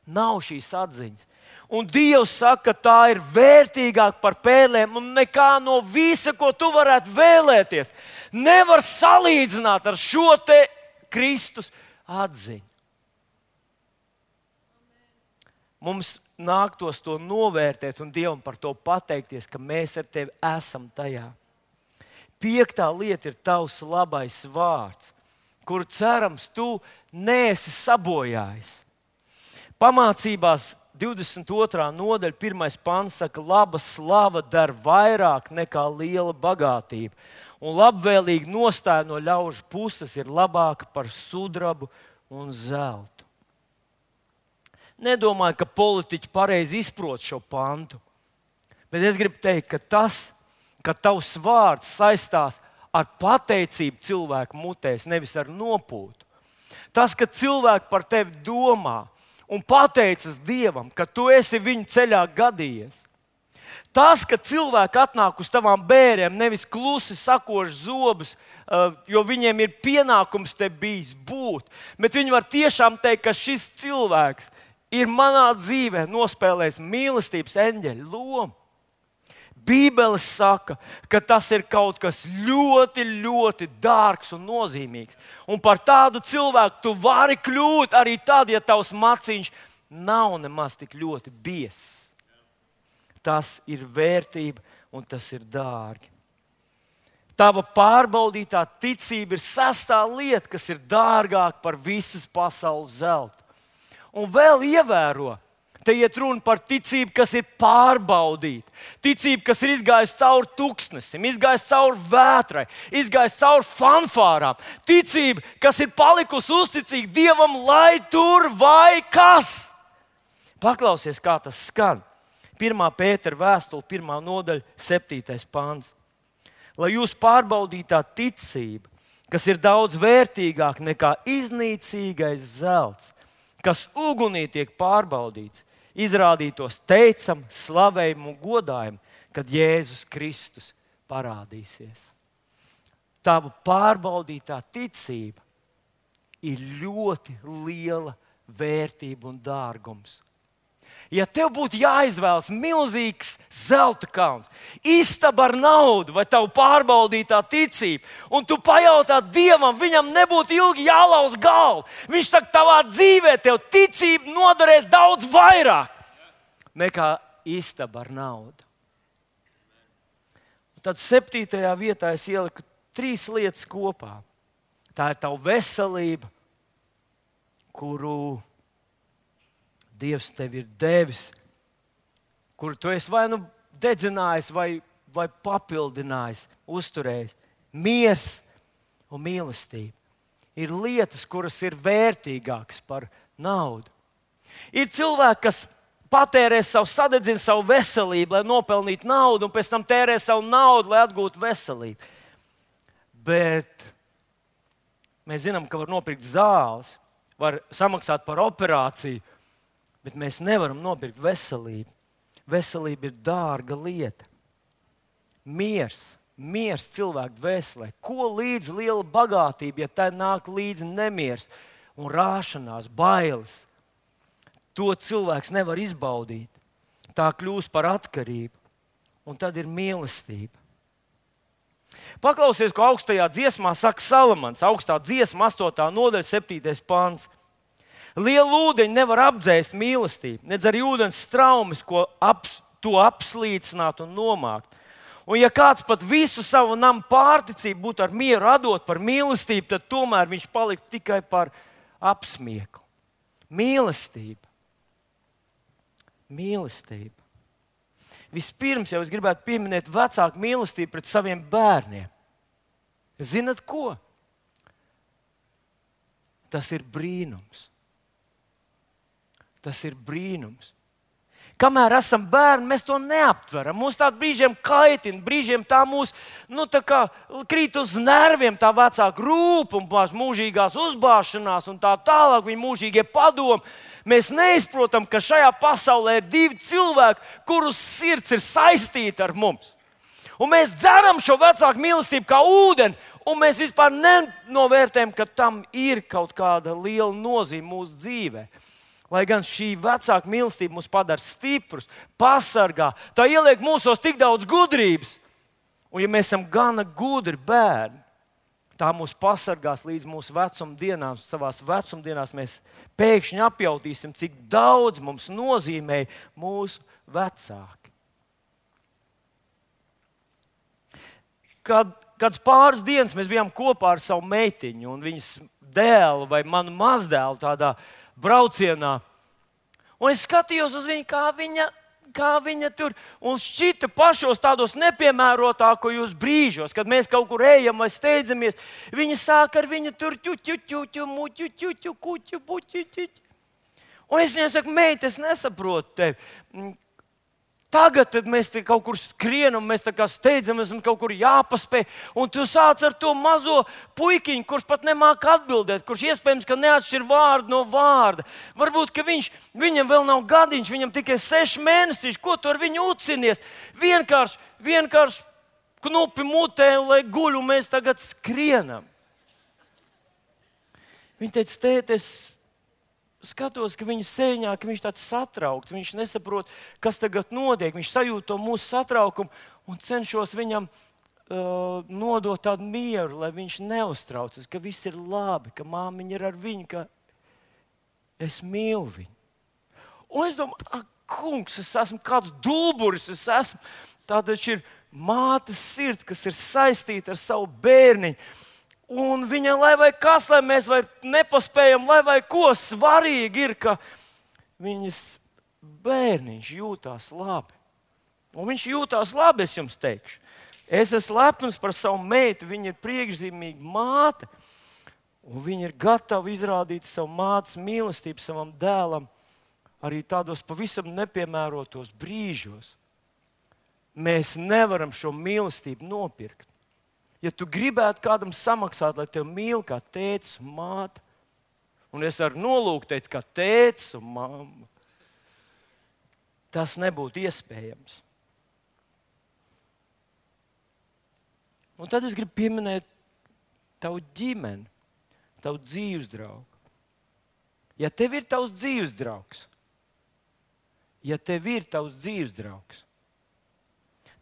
nav šīs atziņas. Un Dievs saka, ka tā ir vērtīgāka par pērlēm, un nekā no visa, ko tu varētu vēlēties, nevar salīdzināt ar šo te Kristus atziņu. Mums nāktos to novērtēt un Dievam par to pateikties, ka mēs ar tevi esam tajā. Piektā lieta ir tavs labais vārds, kuru cerams tu neesi sabojājis. Pamācībās divdesmit otrā nodaļa, pirmais pants saka, laba slava der vairāk nekā liela bagātība. Un labvēlīga nostāja no ļaužu puses ir labāka par sudrabu un zeltu. Nedomāju, ka politiķi pareizi izprot šo pantu, bet es gribu teikt, ka tas, ka tavs vārds saistās ar pateicību cilvēku mutēs, nevis ar nopūtu. Tas, ka cilvēki par tevi domā un pateicas Dievam, ka tu esi viņu ceļā gadījies. Tas, ka cilvēki atnāk uz tavām bērēm, nevis klusi sakož zobus, jo viņiem ir pienākums te bijis būt, bet viņi var tiešām teikt, ka šis cilvēks ir manā dzīvē nospēlējis mīlestības eņģeļa lomu. Bībele saka, ka tas ir kaut kas ļoti, ļoti dārgs un nozīmīgs. Un par tādu cilvēku tu vari kļūt arī tad, ja tavs maciņš nav nemaz tik ļoti biezs. Tas ir vērtība un tas ir dārgi. Tava pārbaudītā ticība ir sestā lieta, kas ir dārgāka par visas pasaules zeltu. Un vēl ievēro, te iet runa par ticību, kas ir pārbaudīta. Ticība, kas ir izgājusi cauri tuksnesim, izgājusi cauri vētrai, izgājusi cauri fanfārām. Ticība, kas ir palikusi uzticīga Dievam, lai tur vai kas. Paklausies, kā tas skan. Pirmā Pētera vēstule, pirmā nodaļa, septītais pants. Lai jūs pārbaudītā ticība, kas ir daudz vērtīgāka nekā iznīcīgais zelts, kas ugunī tiek pārbaudīts, izrādītos teicam, slavējumu un godājumu, kad Jēzus Kristus parādīsies. Tava pārbaudītā ticība ir ļoti liela vērtība un dārgums. Ja tev būtu jāizvēlas milzīgs zelta kauns, istaba ar naudu vai tavu pārbaudītā ticība, un tu pajautā Dievam, viņam nebūtu ilgi jālauz galvu. Viņš saka, tavā dzīvē tev ticība noderēs daudz vairāk nekā istaba ar naudu. Un tad septītajā vietā es ieliku trīs lietas kopā. Tā ir tava veselība, kuru Dievs tev ir devis, kuru tu esi vai nu dedzinājis, vai, vai papildinājis, uzturējis. Miers un mīlestība ir lietas, kuras ir vērtīgākas par naudu. Ir cilvēki, kas patērē savu, sadedzina savu veselību, lai nopelnītu naudu, un pēc tam tērē savu naudu, lai atgūtu veselību. Bet mēs zinām, ka var nopirkt zāles, var samaksāt par operāciju, bet mēs nevaram nopirkt veselību. Veselība ir dārga lieta. Miers, miers cilvēku dvēselē. Ko līdz liela bagātība, ja tai nāk līdzi nemiers un rāšanās, bailes? To cilvēks nevar izbaudīt. Tā kļūst par atkarību. Un tad ir mīlestība. Paklausies, ko augstajā dziesmā saka Salamans. Augstā dziesma, astotā nodaļa, septītais pants. Liela ūdeņa nevar apdzēst mīlestību, nedz arī ūdens straumes, ko to apslīcināt un nomākt. Un ja kāds pat visu savu namu pārticību būtu ar mieru atdot par mīlestību, tad tomēr viņš paliktu tikai par apsmieklu. Mīlestība. Mīlestība. Vispirms jau es gribētu pieminēt vecāku mīlestību pret saviem bērniem. Zinat ko? Tas ir brīnums. Tas ir brīnums. Kamēr esam bērni, mēs to neaptveram. Mums tādi brīžiem kaitina, brīžiem tā mūs nu, tā kā krīt uz nerviem, tā vecāka rūp un mūžīgās uzbāšanās un tā tālāk, viņa mūžīgie padomi. Mēs neizprotam, ka šajā pasaulē ir divi cilvēki, kurus sirds ir saistīta ar mums. Un mēs dzeram šo vecāku mīlestību kā ūdeni, un mēs vispār nenovērtējam, ka tam ir kaut kāda liela nozīme mūsu dzīvē. Lai gan šī vecāka mīlestība mūs padara stiprus, pasargā, tā ieliek mūsos tik daudz gudrības. Un ja mēs esam gana gudri bērni, tā mūs pasargās līdz mūsu vecumdienām. Savās vecumdienās mēs pēkšņi apjautīsim, cik daudz mums nozīmē mūsu vecāki. Kad, kad pāris dienas mēs bijām kopā ar savu meitiņu un viņas dēlu vai manu mazdēlu tādā braucienā. Un es skatījos uz viņu, kā viņa, kā viņa tur, un šķita pašos tādos nepiemērotākajos brīžos, kad mēs kaut kur ejam vai steidzamies, viņa sāk ar viņu tur ķuķuķuķu, muķuķuķu, kuķu, buķuķuķu. Un es viņai saku, meita, es nesaprotu tevi. Tagad tad mēs te kaut kur skrienam, mēs tā kā steidzamies un kaut kur jāpaspēj. Un tu sāc ar to mazo puikiņu, kurš pat nemāk atbildēt, kurš iespējams, ka neatšķir vārdu no vārda. Varbūt, ka viņš, viņam vēl nav gadiņš, viņam tikai seši mēnesiši, ko tu ar viņu ucinies? Vienkārši, vienkārši knupi mutē, lai guļ, un mēs tagad skrienam. Viņa teica, tēt, es skatos, ka viņa sēņā, ka viņš tāds satraukts, viņš nesaprot, kas tagad notiek. Viņš sajūt to mūsu satraukumu un cenšos viņam uh, nodot tādu mieru, lai viņš neuztraucas, ka viss ir labi, ka māmiņa ir ar viņu, ka es mīlu viņu. Un es domāju, ak, kungs, es esmu kāds dulburis, es esmu. Tātad šī ir mātes sirds, kas ir saistīta ar savu bērniņu. Un viņam, lai vai kas, lai mēs vai nepaspējam, lai vai ko, svarīgi ir, ka viņas bērniņš jūtās labi. Un viņš jūtās labi, es jums teikšu. Es esmu lepns par savu meitu, viņa ir priekšzīmīga māte. Un viņa ir gatava izrādīt savu mātes mīlestību savam dēlam arī tādos pavisam nepiemērotos brīžos. Mēs nevaram šo mīlestību nopirkt. Ja tu gribētu kādam samaksāt, lai tevi mīl kā tētis un māte, un es ar nolūku teicu, kā tētis un mamma, tas nebūtu iespējams. Un tad es gribu pieminēt tavu ģimeni, tavu dzīves draugu. Ja tev ir tavs dzīves draugs, ja tev ir tavs dzīves draugs,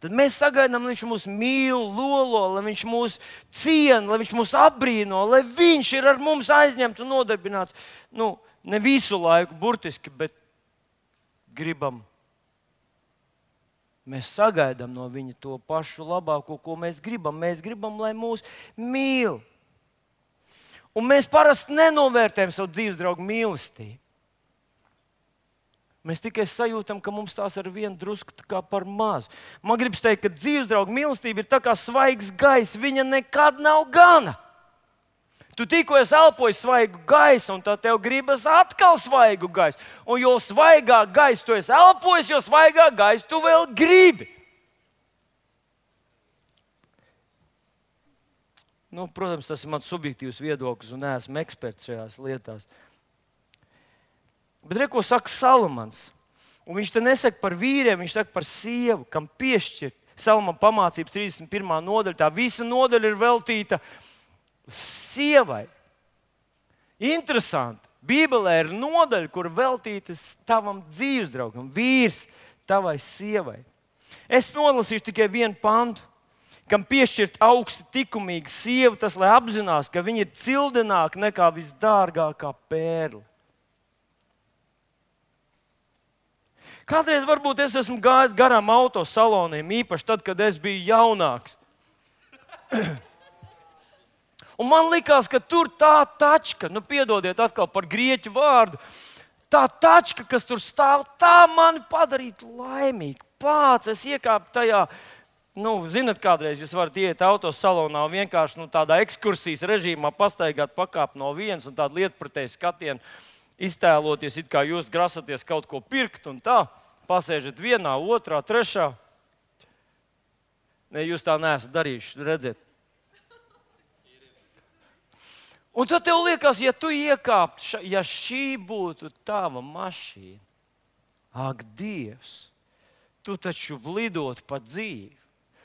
tad mēs sagaidām, lai viņš mūs mīl, lolo, lai viņš mūs ciena, lai viņš mūs apbrīno, lai viņš ir ar mums aizņemts un nodarbināts. Nu, ne visu laiku, burtiski, bet gribam. Mēs sagaidām no viņa to pašu labāko, ko mēs gribam. Mēs gribam, lai mūs mīl. Un mēs parasti nenovērtējam savu dzīves draugu mīlestību. Mēs tikai sajūtam, ka mums tās ar vienu drusku kā par mazu. Man gribas teikt, ka dzīves drauga mīlestība ir tā kā svaigs gaiss. Viņa nekad nav gana. Tu tikko esi elpojis svaigu gaisu, un tā tev gribas atkal svaigu gaisu. Un jo svaigāk gaisu tu esi elpojis, jo svaigāk gaisu tu vēl gribi. Nu, protams, tas ir mans subjektīvs viedoklis, un neesmu eksperts šajās lietās. Bet re, ko saka Salamans. Un viņš te nesaka par vīriem, viņš saka par sievu, kam piešķir. Salamana pamācības trīsdesmit pirmā nodaļa. Tā visa nodaļa ir veltīta sievai. Interesanti. Bībelē ir nodaļa, kur veltīta tavam dzīves draugam, vīrs tavai sievai. Es nolasīšu tikai vienu pantu. Kam piešķirt augsti tikumīgu sievu, tas lai apzinās, ka viņa ir cildināka nekā visdārgākā pērle. Kādreiz varbūt es esmu gājis garām autosaloniem, īpaši tad, kad es biju jaunāks. Un man likās, ka tur tā tačka, nu piedodiet atkal par grieķu vārdu, tā tačka, kas tur stāv, tā mani padarītu laimīgu. Pāc, es iekāpu tajā, nu, zinat, kādreiz jūs varat iet autosalonā un vienkārši nu, tādā ekskursijas režīmā pastaigāt, pakāpt no vienas un tādu lietpratēju skatienu, iztēloties, it kā jūs grasaties kaut ko pirkt un tā, pasēžat vienā, otrā, trešā. Ne, jūs tā neesat darījuši, redziet. Un tad tev liekas, ja tu iekāptu, ja šī būtu tava mašīna, ak, Dievs, tu taču lidotu pa dzīvi.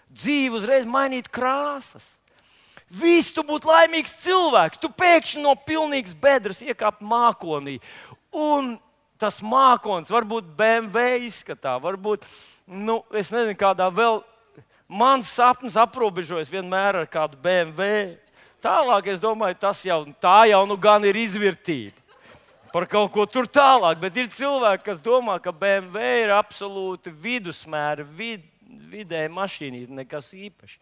Dzīve uzreiz mainītu krāsas. Viss tu būtu laimīgs cilvēks. Tu pēkšņi no pilnīgas bedres iekāp mākonī. Un tas mākonis varbūt B M W izskatā, varbūt, nu, es nezinu, kādā vēl. Mans sapnis aprobežojas vienmēr ar kādu B M W. Tālāk, es domāju, tas jau, tā jau nu gan ir izvirtība. Par kaut ko tur tālāk, bet ir cilvēki, kas domā, ka B M W ir absolūti vidusmēra, vid, vidēja mašīna, nekas īpaši.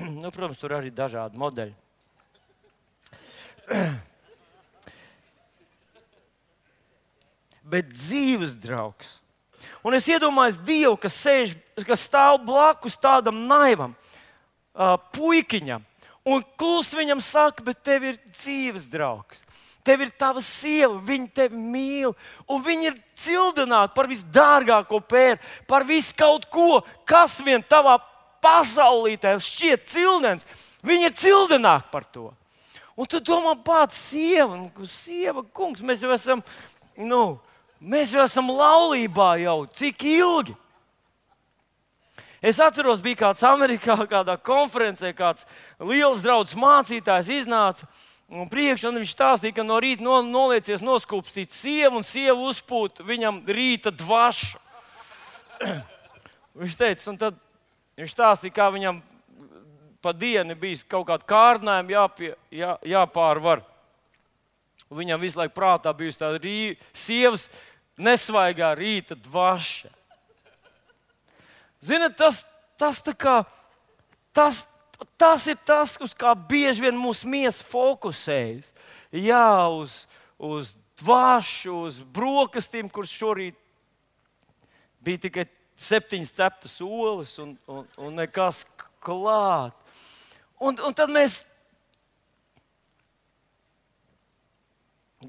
Nu, protams, tur arī dažādi modeļi. Bet dzīves draugs. Un es iedomājos Dievu, kas sēž, kas stāv blakus tādam naivam uh, puikiņam. Un klusi viņam saka, bet tev ir dzīves draugs. Tev ir tava sieva, viņa tevi mīl. Un viņa ir cildināta par visdārgāko pēru, par visu kaut ko, kas vien tavā pasaulītē šķiet cildens. Viņa ir cildināta par to. Un tu domā, pats sieva, sieva, kungs, mēs jau esam, nu, mēs jau esam laulībā jau, cik ilgi? Es atceros, bija kāds Amerikā, kādā konferencē, kāds liels draugs mācītājs iznāca un priekšā, un viņš stāstīja, ka no rīta no, noliecies noskūpstīt sievu, un sieva uzpūt viņam rīta dvašu. Viņš teica, un tad viņš stāstīja, kā viņam pa dienu bijis kaut kāda kārdinājuma jāpie, jā, jāpārvar. Un viņam visu laiku prātā bijusi tā rī, sievas nesvaigā rīta dvaša. Ziniet, tas, tas, kā, tas, tas ir tas, uz kā bieži vien mūsu miesa fokusējas. Jā, uz, uz dvašu, uz brokastīm, kuras šorīt bija tikai septiņas ceptas olas un, un, un nekas klāt. Un, un tad mēs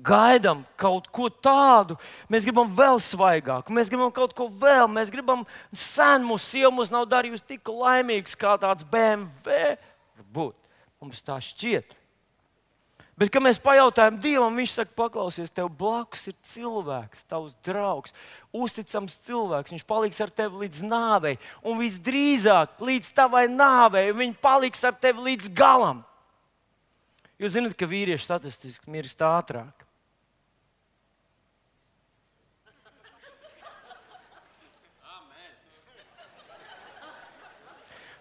gaidām kaut ko tādu, mēs gribam vēl svaigāku, mēs gribam kaut ko vēl, mēs gribam sen mūsu sieva mūs nav darījusi tik laimīgs kā tāds B M W. Varbūt mums tā šķiet. Bet, kad mēs pajautājam Dievam, viņš saka, paklausies, tev blakus ir cilvēks, tavs draugs, uzticams cilvēks, viņš paliks ar tevi līdz nāvei, un visdrīzāk līdz tavai nāvei, un viņš paliks ar tevi līdz galam. Jūs zināt, ka vīrieši statistiski mirst ātrāk.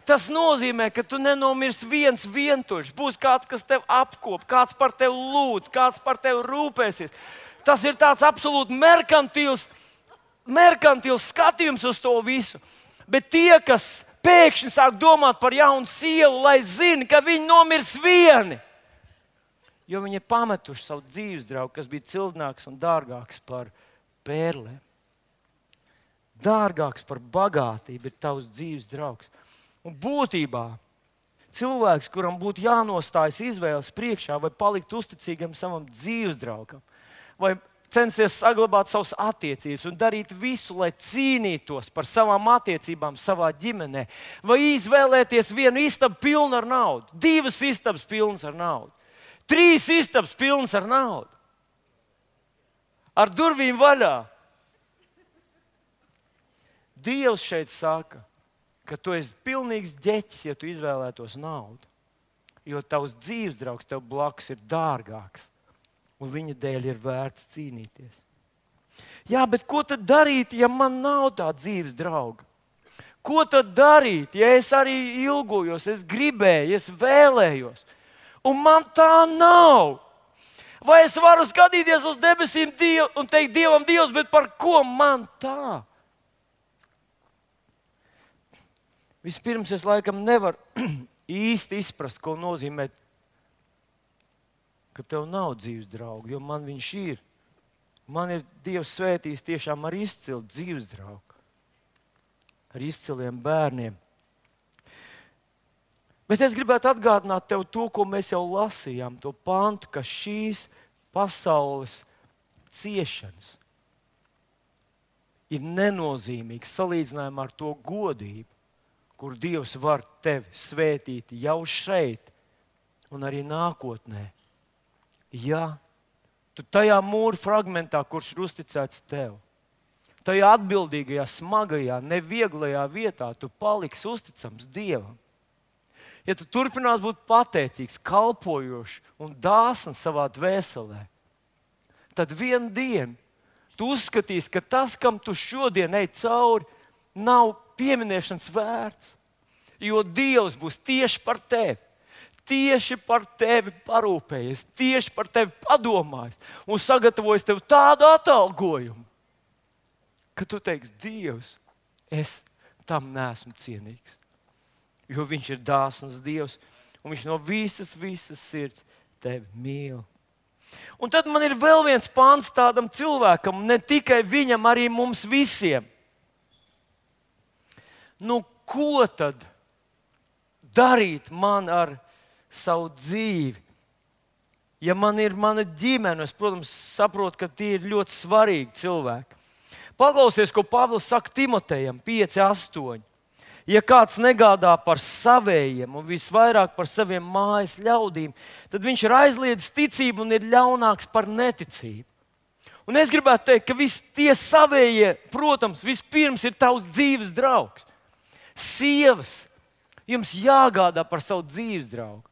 Tas nozīmē, ka tu nenomirsi viens vientuļš. Būs kāds, kas tev apkop, kāds par tevi lūdz, kāds par tevi rūpēsies. Tas ir tāds absolūti merkantils, merkantils skatījums uz to visu. Bet tie, kas pēkšņi sāk domāt par jaunu sievu, lai zina, ka viņi nomirs vieni. Jo viņi ir pametuši savu dzīves draugu, kas bija cildināks un dārgāks par pērlēm. Dārgāks par bagātību ir tavs dzīves draugs. Un būtībā cilvēks, kuram būtu jānostājas izvēles priekšā, vai palikt uzticīgam savam dzīves draugam, vai censties saglabāt savas attiecības un darīt visu, lai cīnītos par savām attiecībām savā ģimenē, vai izvēlēties vienu istabu pilnu ar naudu, divas istabas pilnas ar naudu, trīs istabas pilnas ar naudu, ar durvīm vaļā. Dievs šeit saka, ka tu esi pilnīgs ģeķis, ja tu izvēlētos naudu. Jo tavs dzīves draugs tev blakus ir dārgāks, un viņa dēļ ir vērts cīnīties. Jā, bet ko tad darīt, ja man nav tā dzīves drauga? Ko tad darīt, ja es arī ilgojos, es gribēju, es vēlējos, un man tā nav? Vai es varu skatīties uz debesīm Dievu un teikt Dievam, Dievs, bet par ko man tā? Vispirms es laikam nevaru īsti izprast, ko nozīmē, ka tev nav dzīves draugu, jo man viņš ir. Man ir Dievs svētījis tiešām ar izcilu dzīves draugu, ar izciliem bērniem. Bet es gribētu atgādināt tev to, ko mēs jau lasījām, to pantu, ka šīs pasaules ciešanas ir nenozīmīgas salīdzinājumā ar to godību, kur Dievs var tevi svētīt jau šeit un arī nākotnē. Ja tu tajā mūra fragmentā, kurš ir uzticēts tev, tajā atbildīgajā, smagajā, nevieglajā vietā, tu paliksi uzticams Dievam. Ja tu turpinās būt pateicīgs, kalpojošs un dāsns savā dvēselē, tad vienu dienu tu uzskatīsi, ka tas, kam tu šodien ej cauri, nav pieminēšanas vērts. Jo Dievs būs tieši par tevi, tieši par tevi parūpējies, tieši par tevi padomājis un sagatavojis tev tādu atalgojumu, ka tu teiksi, Dievs, es tam neesmu cienīgs. Jo viņš ir dāsns Dievs, un viņš no visas, visas sirds tevi mīl. Un tad man ir vēl viens pants tādam cilvēkam, ne tikai viņam, arī mums visiem. Nu, ko tad darīt man ar savu dzīvi? Ja man ir mana ģimene, es, protams, saprotu, ka tie ir ļoti svarīgi cilvēki. Paklausies, ko Pāvils saka Timotejam, pieci astoņi. Ja kāds negādā par savējiem un visvairāk par saviem mājas ļaudīm, tad viņš ir aizliedzis ticību un ir ļaunāks par neticību. Un es gribētu teikt, ka visi tie savējie, protams, vispirms ir tavs dzīves draugs. Sievas, jums jāgādā par savu dzīves draugu.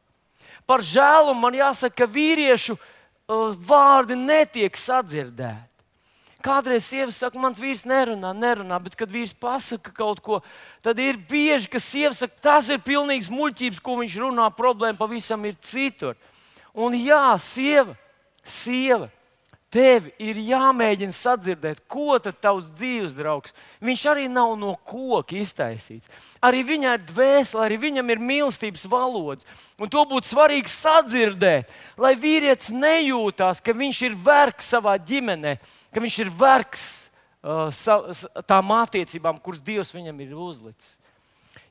Par žēlumu man jāsaka, ka vīriešu uh, vārdi netiek sadzirdēti. Kādreiz sieva saka, mans vīrs nerunā, nerunā, bet kad vīrs pasaka kaut ko, tad ir bieži, ka sieva saka, tas ir pilnīgs muļķības, ko viņš runā, problēma pavisam ir citur. Un jā, sieva, sieva, tev ir jāmēģina sadzirdēt, ko tad tavs dzīves draugs. Viņš arī nav no koka iztaisīts. Arī viņai ir dvēsele, arī viņam ir mīlestības valodas. Un to būtu svarīgi sadzirdēt, lai vīrietis nejūtās, ka viņš ir vergs savā ģimenē, ka viņš ir vergs uh, tām attiecībām, kuras Dievs viņam ir uzlicis.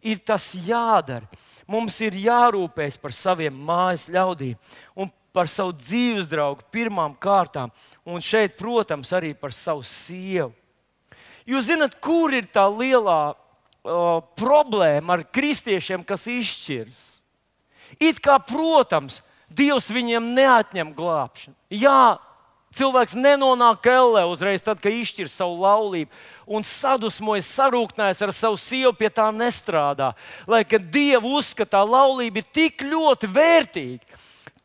Ir tas jādara. Mums ir jārūpējas par saviem mājas ļaudīm un par savu dzīves draugu pirmām kārtām. Un šeit, protams, arī par savu sievu. Jūs zināt, kur ir tā lielā uh, problēma ar kristiešiem, kas izšķiras? It kā, protams, Dievs viņiem neatņem glābšanu. Jā, cilvēks nenonāk ellē uzreiz, tad, kad izšķir savu laulību un sadusmojas, sarūknājas ar savu sievu, pie tā nestrādā. Lai gan Dievu uzskatā laulība ir tik ļoti vērtīga,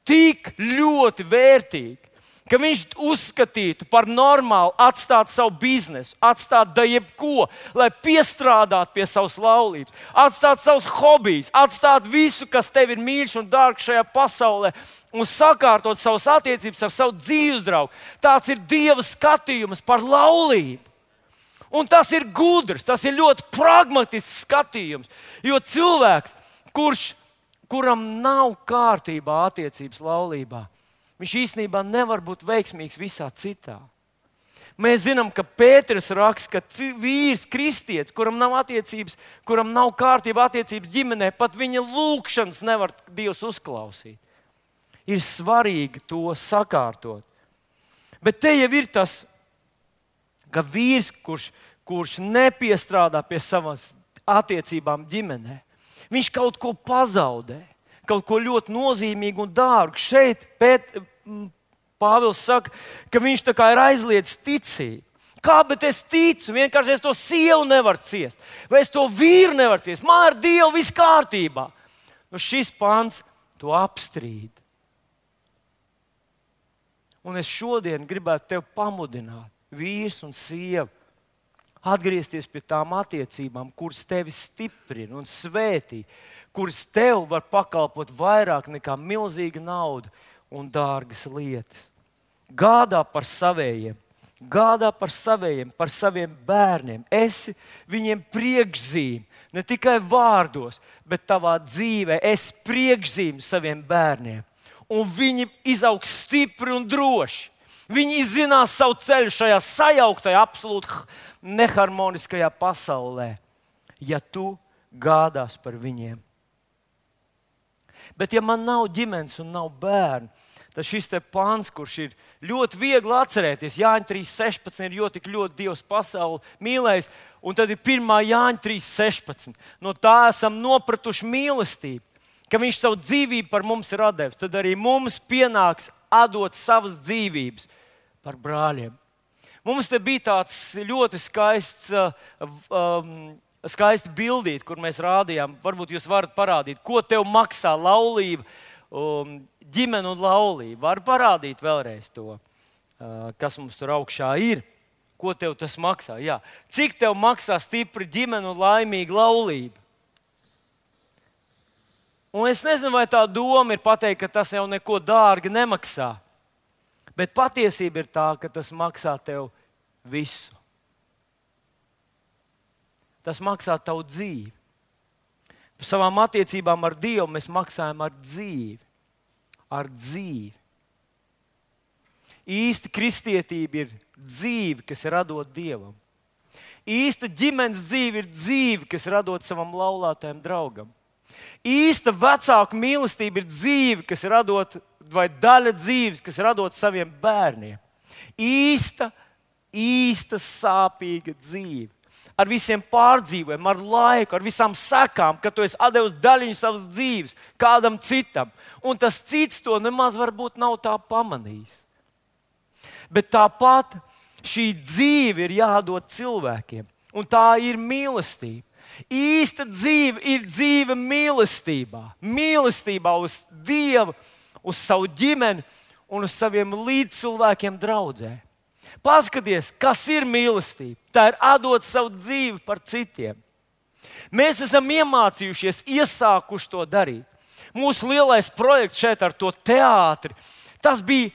tik ļoti vērtīga, ka viņš uzskatītu par normālu atstāt savu biznesu, atstāt da jebko, lai piestrādātu pie savas laulības, atstāt savus hobijus, atstāt visu, kas tev ir mīļš un dārgs šajā pasaulē, un sakārtot savas attiecības ar savu dzīves draugu. Tāds ir Dieva skatījums par laulību. Un tas ir gudrs, tas ir ļoti pragmatisks skatījums. Jo cilvēks, kurš, kuram nav kārtībā attiecības laulībā, viņš īstenībā nevar būt veiksmīgs visā citā. Mēs zinām, ka Pēters raksta, ka vīrs, kristietis, kuram nav attiecības, kuram nav kārtībā attiecības ģimenē, pat viņa lūgšanas nevar Dievs uzklausīt. Ir svarīgi to sakārtot. Bet te jau ir tas, ka vīrs, kurš, kurš nepiestrādā pie savas attiecībām ģimenē, viņš kaut ko pazaudē, kaut ko ļoti nozīmīgu un dārgu. Šeit Pēt, Pāvils saka, ka viņš tā kā ir aizliedzis ticību. Kā, bet es ticu, vienkārši es to sievu nevaru ciest, vai es to vīru nevaru ciest. Man ar Dievu viss kārtībā. Nu, šis pants to apstrīd. Un es šodien gribētu tevi pamudināt, vīrs un sieva, atgriezties pie tām attiecībām, kuras tevi stiprina un svētī, kuras tev var pakalpot vairāk nekā milzīga nauda un dārgas lietas. Gādā par savējiem, gādā par savējiem, par saviem bērniem. Esi viņiem priekšzīme, ne tikai vārdos, bet tavā dzīvē esi priekšzīme saviem bērniem. Un viņi izaugs stipri un droši. Viņi izzinās savu ceļu šajā sajauktajā, absolūti neharmoniskajā pasaulē, ja tu gādās par viņiem. Bet ja man nav ģimenes un nav bērnu, tad šis te pāns, kurš ir ļoti viegli atcerēties, Jāņa trīs sešpadsmit ir, jo tik ļoti Dievs pasauli mīlējis, un tad ir pirmā Jāņa trīs sešpadsmit. No tā esam nopratuši mīlestību, ka viņš savu dzīvību par mums ir atdevis. Tad arī mums pienāks atdot savas dzīvības par brāļiem. Mums te bija tāds ļoti skaists, um, skaisti bildīt, kur mēs rādījām. Varbūt jūs varat parādīt, ko tev maksā laulība, um, ģimene un laulība. Var parādīt vēlreiz to, uh, kas mums tur augšā ir. Ko tev tas maksā? Jā. Cik tev maksā stipri ģimene un laimīga laulība? Un es nezinu, vai tā doma ir pateikt, ka tas jau neko dārgi nemaksā. Bet patiesība ir tā, ka tas maksā tev visu. Tas maksā tavu dzīvi. Par savām attiecībām ar Dievu mēs maksājam ar dzīvi. Ar dzīvi. Īsta kristietība ir dzīve, kas ir radot Dievam. Īsta ģimenes dzīve ir dzīve, kas ir radot savam laulātajam draugam. Īsta vecāku mīlestība ir dzīve, kas ir radot, vai daļa dzīves, kas ir radot saviem bērniem. Īsta, īsta sāpīga dzīve. Ar visiem pārdzīvojumiem, ar laiku, ar visām sekām, kad tu esi atdevis daļiņu savas dzīves kādam citam. Un tas cits to nemaz varbūt nav tā pamanījis. Bet tāpat šī dzīve ir jādod cilvēkiem. Un tā ir mīlestība. Īsta dzīve ir dzīve mīlestībā. Mīlestībā uz Dievu, uz savu ģimeni un uz saviem līdzcilvēkiem draudzē. Paskaties, kas ir mīlestība. Tā ir atdot savu dzīvi par citiem. Mēs esam iemācījušies, iesākuši to darīt. Mūsu lielais projekts šeit ar to teātri, tas bija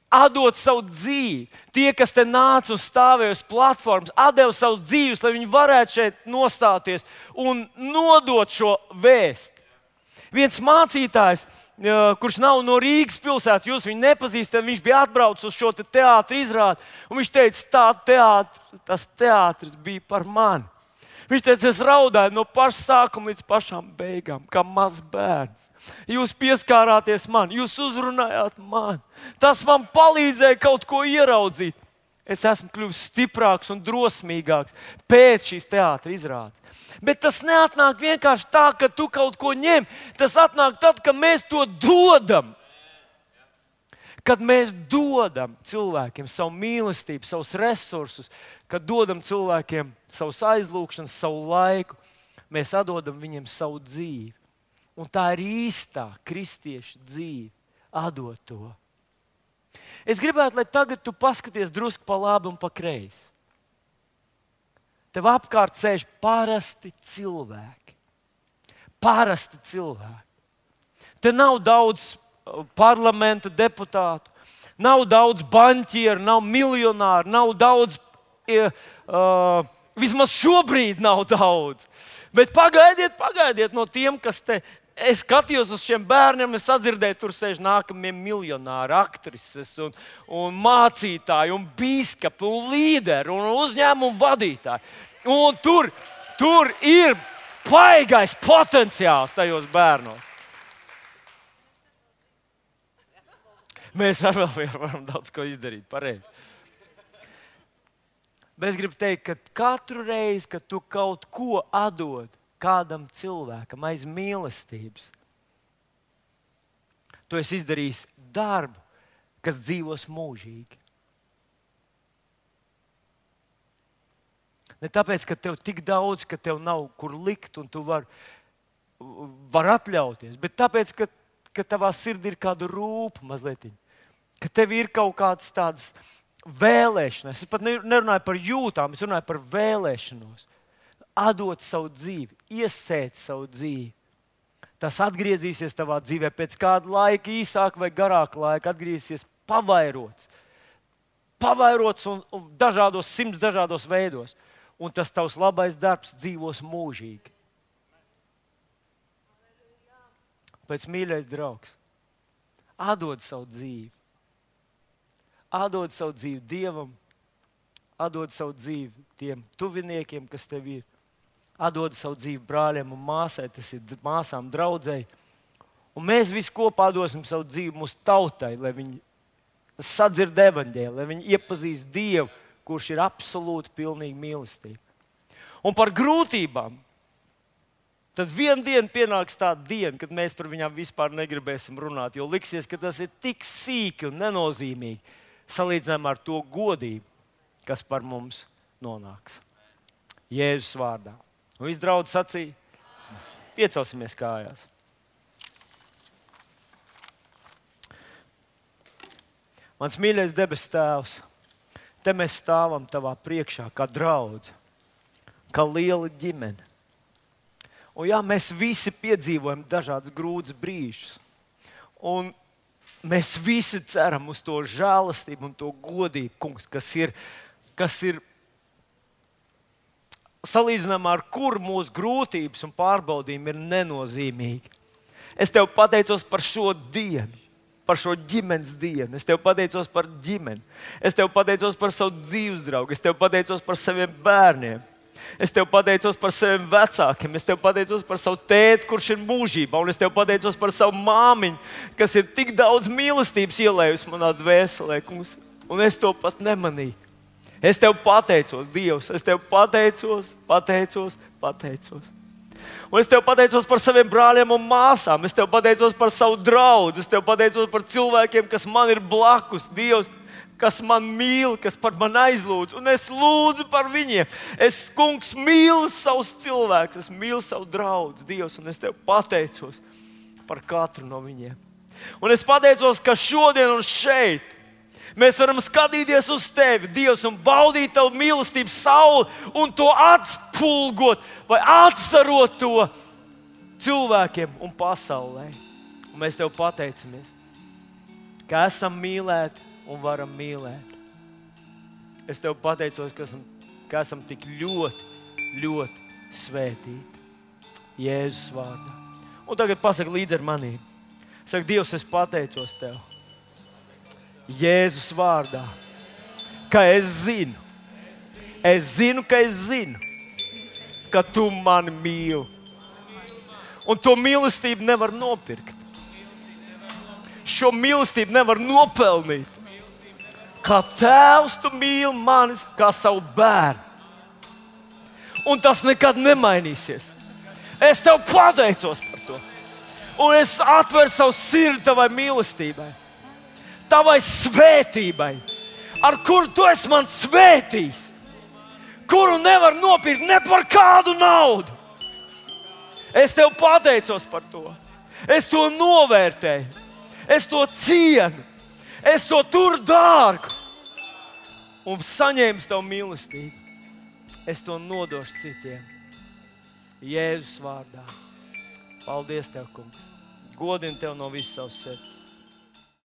atdot savu dzīvi. Tie, kas te nāca un stāvēja uz platformas, atdeva savus dzīves, lai viņi varētu šeit nostāties un nodot šo vēstu. Viens mācītājs, kurš nav no Rīgas pilsētas, jūs viņu nepazīstat, viņš bija atbraucis uz šo te teātri izrādi, un viņš teica, tā teātris, tas teātris bija par mani. Viņš teica, es raudāju no paša sākuma līdz pašām beigām, kā mazs bērns. Jūs pieskārāties man, jūs uzrunājāt mani. Tas man palīdzēja kaut ko ieraudzīt. Es esmu kļuvis stiprāks un drosmīgāks pēc šīs teātra izrādes. Bet tas neatnāk vienkārši tā, ka tu kaut ko ņem. Tas atnāk tad, kad mēs to dodam. Kad mēs dodam cilvēkiem savu mīlestību, savus resursus, kad dodam cilvēkiem savus aizlūgšanas, savu laiku, mēs atdodam viņiem savu dzīvi. Un tā ir īstā kristieša dzīve, atdot to. Es gribētu, lai tagad tu paskaties drusku pa labi un pa kreisi. Tev apkārt sēž parasti cilvēki. Parasti cilvēki. Te nav daudz parlamenta deputātu, nav daudz banķieru, nav miljonāru, nav daudz, uh, vismaz šobrīd nav daudz. Bet pagaidiet, pagaidiet no tiem, kas te, es skatījos uz šiem bērniem, es sadzirdēju, tur sēž nākamie miljonāri, aktrises un, un mācītāji, un bīskapi, un līderi, un uzņēmumu vadītāji. Un tur, tur ir paigais potenciāls tajos bērnos. Mēs arī varam daudz ko izdarīt, pareizi. Bet es gribu teikt, ka katru reizi, kad tu kaut ko atdod kādam cilvēkam aiz mīlestības, tu esi izdarījis darbu, kas dzīvos mūžīgi. Ne tāpēc, ka tev tik daudz, ka tev nav kur likt un tu vari var atļauties, bet tāpēc, ka, ka tavā sirdī ir kāda rūpa mazliet. Ka tev ir kaut kādas tādas vēlēšanas. Es pat nerunāju par jūtām, es runāju par vēlēšanos. Atdot savu dzīvi, iesēt savu dzīvi. Tas atgriezīsies tavā dzīvē pēc kāda laika, īsāka vai garāka laika, atgriezīsies pavairots. pavairots un, un dažādos, simts dažādos veidos. Un tas tavs labais darbs dzīvos mūžīgi. Pēc mīļais draugs, atdod savu dzīvi. Atdod savu dzīvi Dievam, atdod savu dzīvi tiem tuviniekiem, kas tev ir. Atdod savu dzīvi brāļiem un māsai, tas ir māsām, draudzei. Un mēs visi kopā dosim savu dzīvi mūsu tautai, lai viņi sadzird evaņģēliju, lai viņi iepazīst Dievu, kurš ir absolūti pilnīgi mīlestība. Un par grūtībām. Tad vienā dienā pienāks tāda diena, kad mēs par viņām vispār negribēsim runāt, jo liksies, ka tas ir tik sīki un nenozīmīgi salīdzinājumā ar to godību, kas par mums nonāks. Jēzus vārdā. Un viss draudz sacīja, piecelsimies kājās. Mans mīļais debes Tēvs, te mēs stāvam tavā priekšā kā draudze, kā liela ģimene. Un jā, mēs visi piedzīvojam dažādas grūtas brīžus. Un mēs visi ceram uz to žēlastību un to godību, kungs, kas ir, kas ir salīdzinājumā ar kuru mūsu grūtības un pārbaudījumi ir nenozīmīgi. Es tev pateicos par šo dienu, par šo ģimenes dienu. Es tev pateicos par ģimeni. Es tev pateicos par savu dzīves draugu. Es tev pateicos par saviem bērniem. Es tev pateicos par saviem vecākiem, es tev pateicos par savu tēti, kurš ir mūžībā, un es tev pateicos par savu māmiņu, kas ir tik daudz mīlestības ielējusi manā dvēselē, kungs, un es to pat nemanīju. Es tev pateicos, Dievs, es tev pateicos, pateicos, pateicos. Un es tev pateicos par saviem brāļiem un māsām, es tev pateicos par savu draugu, es tev pateicos par cilvēkiem, kas man ir blakus, Dievs, kas man mīl, kas par mani aizlūdz, un es lūdzu par viņiem. Es, kungs, mīlu savus cilvēkus, es mīlu savu draugu, Dievs, un es tev pateicos par katru no viņiem. Un es pateicos, ka šodien un šeit mēs varam skatīties uz tevi, Dievs, un baudīt tavu mīlestību sauli un to atspulgot vai atstarot to cilvēkiem un pasaulē. Un mēs tev pateicamies, ka esam mīlēti un varam mīlēt. Es tev pateicos, ka esam, ka esam tik ļoti, ļoti svētīti. Jēzus vārdā. Un tagad pasaki līdzi ar manī. Saka, Dievs, es pateicos tev. Jēzus vārdā. Ka es zinu. Es zinu, ka es zinu, ka tu mani mīli. Un to mīlestību nevar nopirkt. Šo mīlestību nevar nopelnīt. Kā tēvs tu mīli manis kā savu bērnu. Un tas nekad nemainīsies. Es tev pateicos par to. Un es atveru savu sirdi tavai mīlestībai. Tavai svētībai. Ar kuru tu esi man svētījis. Kuru nevar nopirkt ne par kādu naudu. Es tev pateicos par to. Es to novērtēju. Es to cienu. Es to turu dārgu. Un saņēmu tavu mīlestību. Es to nodošu citiem. Jēzus vārdā. Paldies tev, kungs. Godinu tev no visas savas sirds.